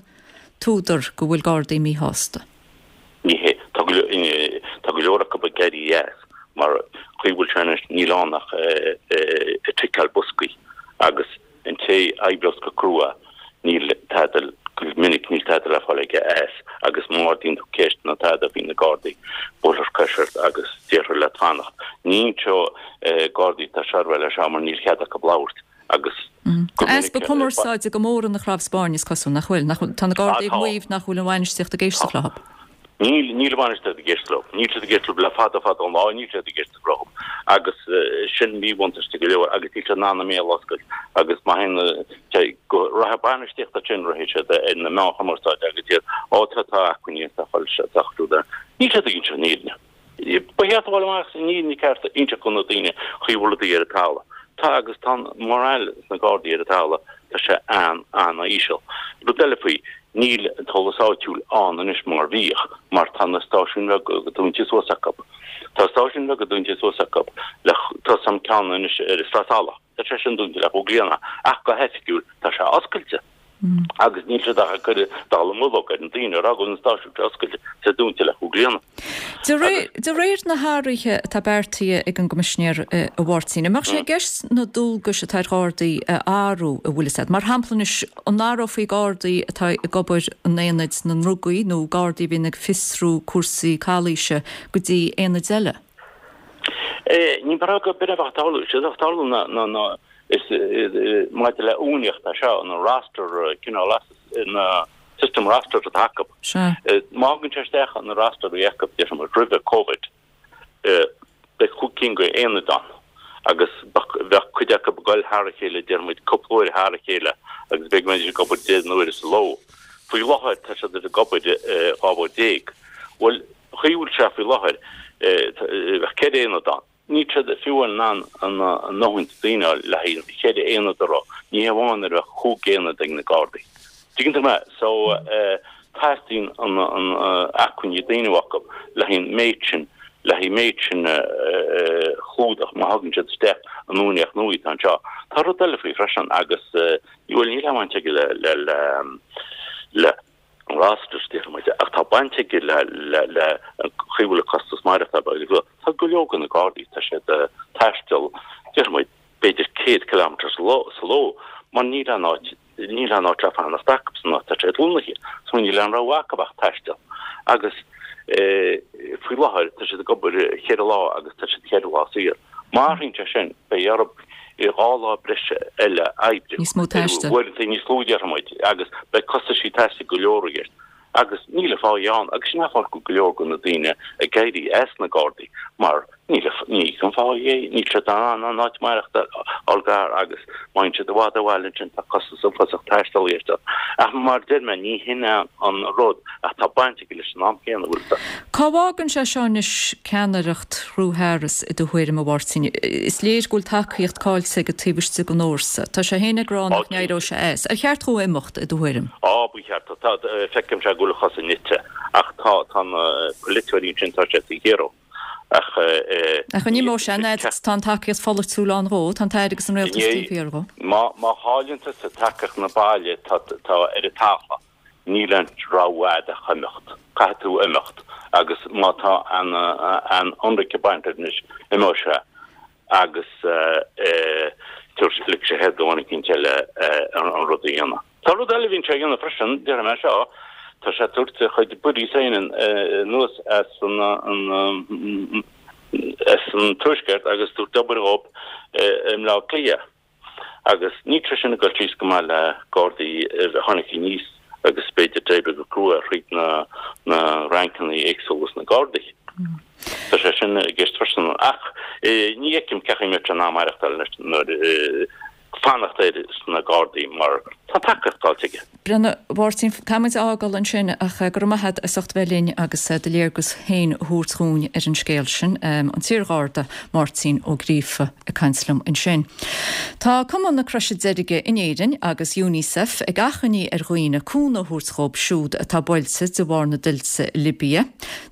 t-údar go bhfuil Gardaí míshásta. Ní hé. Tá go leor acu ag éirí as mar chaoi a bhfuil sé anois níl ann ach ag ticeáil boscaí agus An té a oibreos go crua, níl tada, go minic níl tada le fáil aige as agus má ardaíonn tú ceist nó tada faoi na Gardaí, buailfear cois ort agus déarfar leat fanacht. Ní inseoidh Gardaí atá seirbheáil é seo mar níl cead acu labhairt agus go Tá easpa minic. cumarsáide go mór ina chnámh spáirne is cosúil, nach bhfuil? Nach bhfuil? Tá na Gardaí ag maíomh nach bhfuil an bhainistíocht ag éisteacht leo. Níl, níl an bhainistíocht ag éisteacht leo. Níl siad ag éisteacht leo le fada fada an lá, níl siad ag éisteacht leo. Agus sin míbhuntáiste go leor agus níl siad in ann a mbéal a oscailt agus má théann sé go rachaidh bainistíocht ansin rachaidh siad ar na meáin chumarsáide agus iad, ó tá, tá acmhainní tá foilsithe, tá siúd ann. Níl siad ag inseacht an fhírinne. Ba cheart a dhul amach an fhírinne ceart a inseacht do na daoine chaoi a bhfuil rudaí ar an talamh. Tá agus tá an morale sna Gardaí ar an talamh, tá sé an-an-íseal. Rud eile faoi, níl an t-eolas áitiúil ann anois mar bhíodh, mar tá na stáisiúin bheaga dúnta suas acu. Tá stáisiúin bheaga dúnta suas acu le, tá san ceann anois ar an Sraith Salach, tá sé sin dúnta le cúig bliana, ach go hoifigiúil tá sé oscailte. Agus níl siad ach ag cur dallamullóg ar na daoine ag rá go bhfuil an stáisiún seo oscailte is é dúnta le chúig bliana. De réir na hathruithe atá beartaithe ag an gCoimisinéir, a Mháirtín, an mbeadh sé i gceist na dualgais atá ar Ghardaí a athrú, an bhfuil fhios agat? Mar shampla anois, an athrófaí Gardaí atá ag obair in aonaid na ndrugaí nó Gardaí a bhíonn ag fiosrú cúrsaí calaoise go dtí aonaid eile? Ní mar go b'in a bheadh ag tarlú. Is é atá ag tarlú ná is maidir le uainíocht é seo, an roster cineál na system roster atá acu. Má thagann sé isteach an roster a bhí acu déarfaidh muid roimhe Covid, beidh chúig cinn de aonaid ann agus bheadh cuid acu ag dul thar a chéile déarfaidh muid cúpla uair thar a chéile agus b'fhéidir go mbeidís ag obair 10 n-uaire sa ló. Faoi láthair tá siad ag obair 12 uair. Bhuel, chaoi a bhfuil sé faoi láthair, bheadh ceithre aonad ann. Níl siad fiú in ann a ndóthain daoine a fháil le haghaidh an cheithre aonad a rith, ní hé amháin nuair a bheadh chúig aonad ag na Gardaí. Tuigeann tú mé? So, teastaíonn an acmhainní daoine acu le haghaidh an méid sin, le haghaidh an méid sin a chlúdach má thagann siad isteach an uainíocht nua atá anseo. Tá rud eile faoi freisin agus, bhuel, níl aon bhaint aige le, le, le, le, rosters, déarfaidh muid, ach tá baint aige le le an chaoi a bhfuil an costas maireachtála agus rud. Tá go leor de na Gardaí, tá siad ag taisteal, déarfaidh muid, b'fhéidir 100 kilometre sa ló mar níl aon áit, níl aon áit le fanacht acu san áit atá siad lonnaithe. So níl aon rogha acu ach taisteal. Agus faoi láthair tá siad ag obair cheithre lá agus tá siad cheithre lá saor. Má athraíonn sé sin, beidh orthu 2 lá breise eile a oibriú. Níos mó taistil. Uaireanta níos lú, déarfaidh muid, agus beidh costaisí taistil go leor i gceist. Agus níl an phá ann, agus sin an fáth go bhfuil go leor de na daoine ag éirí as na Gardaí, mar níl, ní íocann an phá é, níl siad in ann an áit maireachtáil a fháil gar agus má théann siad i bhfad ó bhaile ansin tá costas uafásach taistil i gceist. Ach mar a deir mé, ní hin é an rud, ach tá baint aige leis an am céanna, bhfuil 'fhios a'd. Cá bhfágann sé seo anois ceannaireacht Dhrew Harris i do thuairim, a Mháirtín? Is léir go bhfuil tacaíocht caillte aige taobh istigh den fhórsa. Tá sé féin ag rá nach n-éireoidh sé as. Ar cheart dhó imeacht, i do thuairim? Á, ba cheart. Tá, feicimse go bhfuil a chosa nite. Ach tá, tá na polaiteoirí ansin, tá siad sa ghiorrú. Ach eh. Ach an imeoidh sé, an fhad is atá an tacaíocht pholaitiúil ann dhó, tá an tAire agus an Rialtas taobh thiar dhó. Má, má chailleann tusa tacaíocht na baile, tá, tá ar an talamh. Níl aon rogha a'd ach imeacht. Caithfidh tú imeacht agus má tá an ionraic ag baint leis anois, imeoidh sé agus tabharfaidh sé do dhuine eicínt eile an rud a dhéanamh. Tá rud eile a bhíonn sé a dhéanamh freisin, déarfaidh mé seo, tá sé ag tabhairt a chuid buddies féin anuas as an as an Tuaisceart agus tabhairt obair dhóibh i mBleá Cliath. Agus níl sé sin ag dul síos go maith le Gardaí a tháinig aníos agus b'fhéidir d'oibrigh go crua thríd na na rancanna éagsúla sna Gardaí. Tá sé sin i gceist freisin. Ach ní fheicim cén chaoi a mbeadh sé in ann maireachtáil anois nuair fanacht air sna Gardaí mar tá tacaíocht faighte aige. Breathnaigh, a Mháirtín, caithfidh muid a fhágáil ansin ach go raibh maith agat as ucht bheith linn agus do léargas féin a thabhairt dhúinn ar an scéal sin. An t-iarGharda Máirtín Ó Gríofa ag caint liom ansin. Tá Cumann na Croise Deirge in Éirinn agus Unicef ag achainí ar dhaoine cúnamh a thabhairt dhóibh siúd atá buailte de bharr na dtuilte i Libia.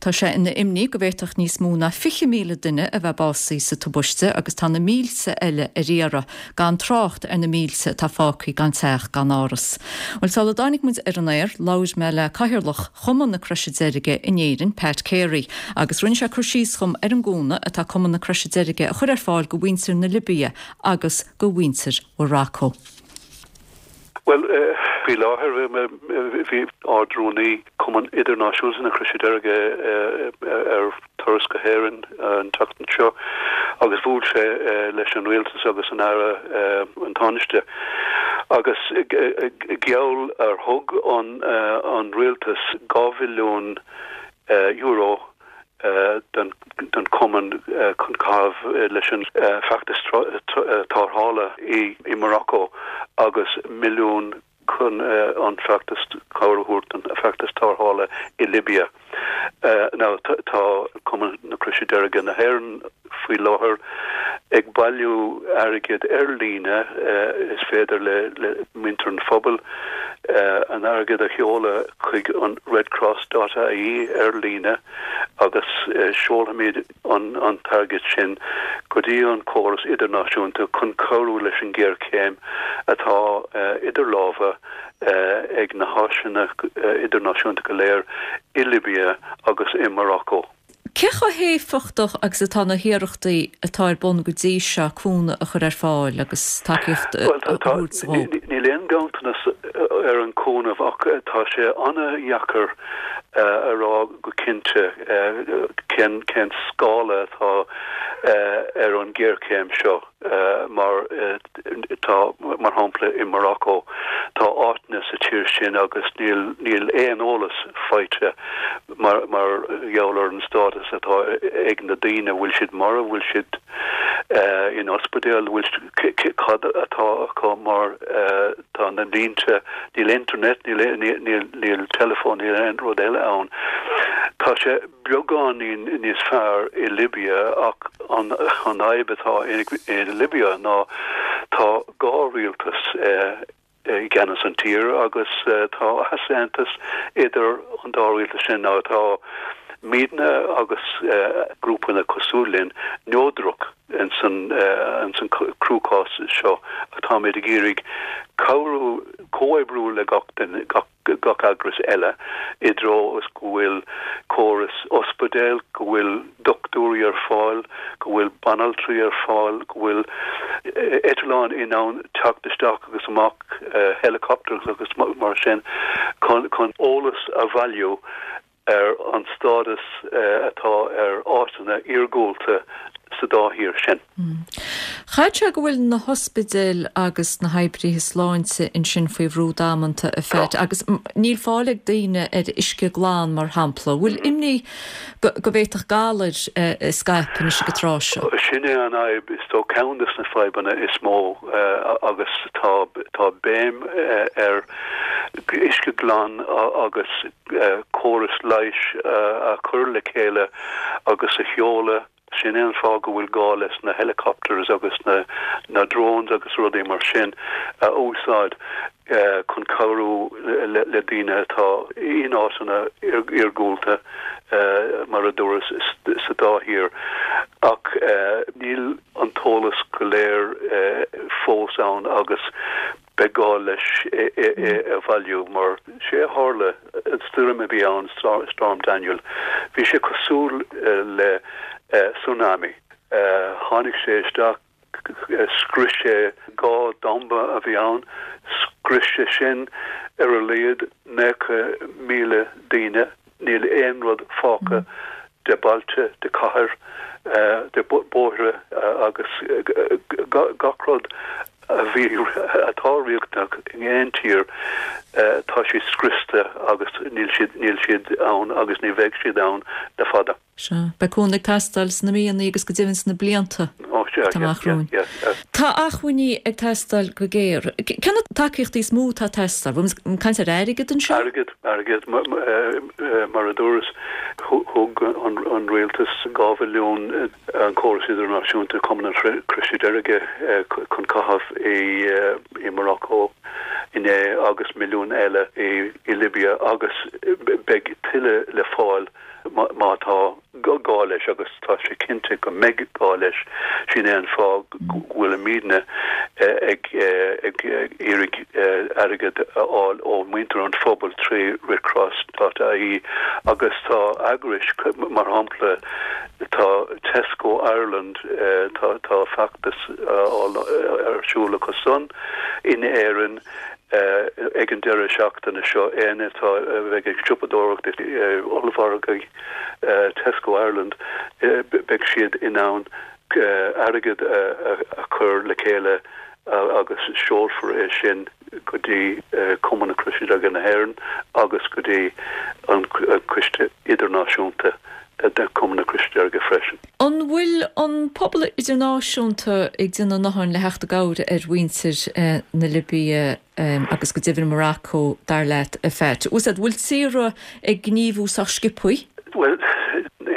Tá sé ina imní go bhféadfadh níos mó ná 20,000 duine a bheith básaithe sa tubaiste agus tá na mílte eile ar iarraidh. gan trácht ar na mílte atá fágtha gan teach gan áras. Bhuel, sula dtáinig muid ar an aer, labhair mé le Cathaoirleach Chumann na Croise Deirge in Éirinn, Pat Carey, agus rinne sé cur síos dhom ar an gcúnamh atá Cumann na Croise Deirge a chur ar fáil go mhuintir na Libia agus go mhuintir Mharacó. Bhuel, faoi láthair, bhí Ard-Rúnaí Chumann Idirnáisiúnta na Croise Deirge ar turas go hÉirinn an tseachtain seo agus bhuail sé leis an Rialtas agus an Aire, an Tánaiste, agus gheall ar thug an Rialtas €2 mhilliún don Chumann chun caitheamh leis an feachtas tarrthála i Morocco agus milliún chun an feachtas, cabhair a thabhairt don feachtas tarrthála i Libia. Now tá Cumann na Croise Deirge na hÉireann faoi láthair. ag bailiú airgid ar líne. Is féidir le muintir an phobail an airgead a sheoladh chuig an redcross dot ie ar líne agus seolfaimid an t-airgead sin go dtí an córas idirnáisiúnta chun cabhrú leis an ghéarchéim atá idir lámha ag na háiseanna idirnáisiúnta go léir i Libia agus i Morocco. Cé chomh héifeachtach agus atá na hiarrachtaí atá ar bun go dtí seo cúnamh a chur ar fáil agus tacaíocht a thabhairt dóibh? Níl aon ghanntanas ar an chúnamh ach tá sé an-dheacair a rá go cinnte cén cén scála atá ar an ghéarchéim seo mar tá, mar shampla i Morocco, tá áiteanna sa tír sin agus níl níl aon eolas faighte mar mar gheall ar an stádas atá ag na daoine, bhfuil siad marbh, bhfuil siad in ospidéal, bhfuil cad atá acu mar tá na línte, níl internet, níl níl níl teileafón, níl aon rud eile ann. Tá sé beagáinín níos fearr i Libia ach an fhadhb atá i Libia ná tá dhá rialtas i gceannas an tír agus tá easaontas idir an dá rialtas sin. Nó tá muidne agus grúpanna cosúil linn neodrach ins an cruachás seo ach táimid ag iarraidh cabhrú, comhoibriú le gach duine, gach. gach eagras eile i dtreo is go bhfuil córas ospidéal, go bhfuil dochtúirí ar fáil, go bhfuil banaltraí ar fáil, go bhfuil eitleáin in ann teacht isteach agus amach, helicopters agus mar sin, chun eolas a bhailiú ar an stádas atá ar áiteanna iargúlta sa dá thír sin. Chaithfeadh sé go bhfuil na hospidéil agus na hoibrithe sláinte ansin faoi bhrú damanta, a Phat, agus níl fáil ag daoine ar uisce glan, mar shampla. Bhfuil imní go bhféadfadh galair scaipeadh anois ag an tráth seo? Sin é an fhadhb, is dóigh, ceann de na fadhbanna is mó agus tá béim ar uisce glan agus córas leighis a chur le chéile agus a sheoladh. Sin é an fáth go bhfuil gá leis na helicopters agus na drones agus rudaí mar sin a úsáid chun cabhrú le daoine atá in áiteanna iargúlta, mar a dúras, sa dá thír. Ach níl an t-eolas go léir fós ann agus Beidh gá leis é a bhailiú mar sé a tharla, an stoirm a bhí ann, Storm Daniel, bhí sé cosúil le tsunami. Tháinig sé isteach, scrios sé dhá damba a bhí ann, scrios sé sin ar a laghad 90,000 daoine. Níl aon rud fágtha de bailte, de cathair, de bóithre agus gach rud a bhí, atá riachtanach in aon tír, tá siad scriosta agus níl siad, níl siad ann agus ní bheidh siad ann le fada. Sea. Beidh cúnamh ag teastáil sna míonna agus go deimhin sna blianta atá amach romhainn. Tá acmhainní ag teastáil go géar. Cé na tacaíochtaí is mó atá ag teastáil? Bhfuil muid ag caint ar airgead anseo? Airgead, airgead. Mar a dúras, thug an rialtas 2 mhilliún an córas idirnáisiúnta Cumann an Chroise Deirge chun caitheamh i Morocco inné agus milliún eile i Libia agus beidh tuilleadh le fáil má tá gá leis agus tá sé cinnte go mbeidh gá leis. Sin é an fáth go bhfuilimidne ag iarraidh airgead a fháil ó mhuintir an phobail trí Redcross dot ie agus tá eagrais, mar shampla tá Tesco Ireland, tá feachtas ar siúl acu san in Éirinn ag an deireadh seachtaine seo, éinne atá a bheidh ag siopadóireacht i ollmhargaí Tesco Ireland, beidh siad in ann airgead a chur le chéile agus seolfar é sin go dtí Cumann na Croise Deirge na hÉireann agus go dtí an Coiste Idirnáisiúnta de Chumann na Croise Deirge freisin. An bhfuil an pobal idirnáisiúnta ag déanamh a ndóthain le theacht i gcabhair ar mhuintir na Libia agus go deimhin Morocco, dar leat, a Phat? Bhfuil tíortha ag gníomhú sách sciobthaí? Bhuel,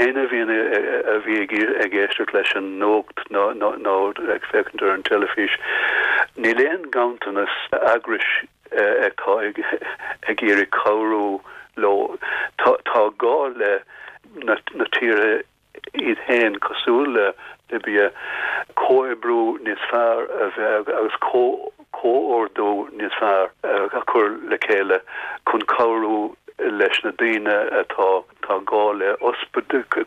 Éinne a bhíonn a bhí ag éisteacht leis an nuacht nó nó ag féachaint ar an teilifís, níl aon ghanntanas eagrais atá ag iarraidh cabhrú leo. Tá gá le na tíortha iad féin, cosúil le Libia, comhoibriú níos fearr a bheith agus comhordú níos fearr a chur le chéile chun cabhrú leis na daoine atá tá gá le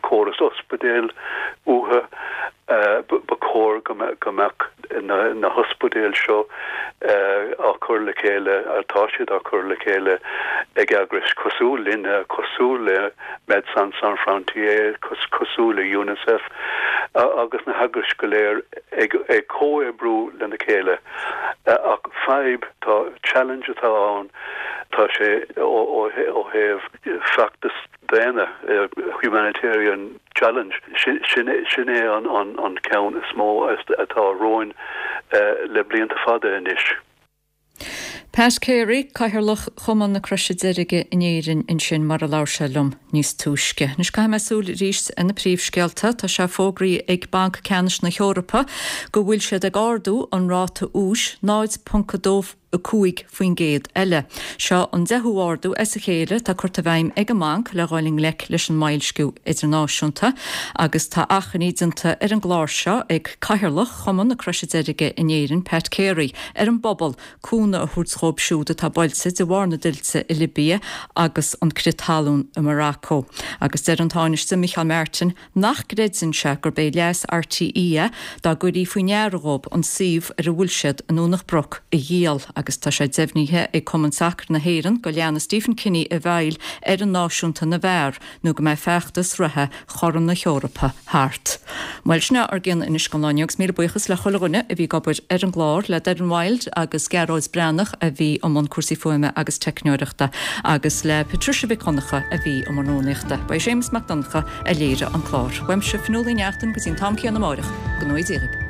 córas ospidéil uathu. Ba chóir go mbeadh na hospidéil seo á cur le chéile, tá siad á cur le chéile ag eagrais cosúil linne, cosúil le Médecins Sans Frontières, cosúil le Unicef agus na heagrais go léir ag comhoibriú lena chéile. Ach fadhb, tá challenge atá ann, tá sé ó thaobh feachtas daonna, humanitarian challenge, sin é an ceann is mó atá romhainn le blianta fada anois. Pat Carey, Cathaoirleach Chumann na Croise Deirge in Éirinn ansin mar a labhair sé liom níos túisce. Anois caithfidh mé súil arís ar na príomhscéalta. Tá sé fógraithe ag Banc Ceannais na hEorpa go bhfuil siad ag ardú an ráta úis 0.2 5% eile. Seo an deichiú ardú as a chéile atá curtha i bhfeidhm ag an mbanc le dhul i ngleic leis an mboilsciú idirnáisiúnta agus tá achainí déanta ar an gclár seo ag Cathaoirleach Chumann na Croise Deirge in Éirinn, Pat Carey, ar an bpobal cúnamh a thabhairt dhóibh siúd atá buailte de bharr na dtuilte i Libia agus an crith talún i Morocco. Agus deir an Tánaiste Micheál Martin nach gcreideann sé gurb é leas RTÉ é dá gcuirí faoi ndeara dhóibh an suíomh ar a bhfuil siad i nDomhnach Broc a dhíol agus tá sé deimhnithe ag Cumann Sacair na hÉireann go leanfaidh Stephen Kenny i bhfeighil fhoireann náisiúnta na bhfear nó go mbeidh feachtas reatha Chorn na hEorpa thart. Bhuel, sin é ár gcion anois don lá inniu agus míle buíochas le chuile dhuine a bhí ag obair ar an gclár, le Doireann Wilde agus Gearóid Breathnach a bhí i mbun cúrsaí fuaime agus teicneoireachta agus le Patricia Mhic Dhonncha a bhí i mbun rúnaíochta. Ba é Séamus Mac Donncha a léirigh an clár. Uaimse, Fionnuala Ní Neachtain, go dtí an t-am céanna amáireach, go ngnóthaí Dia dhaoibh.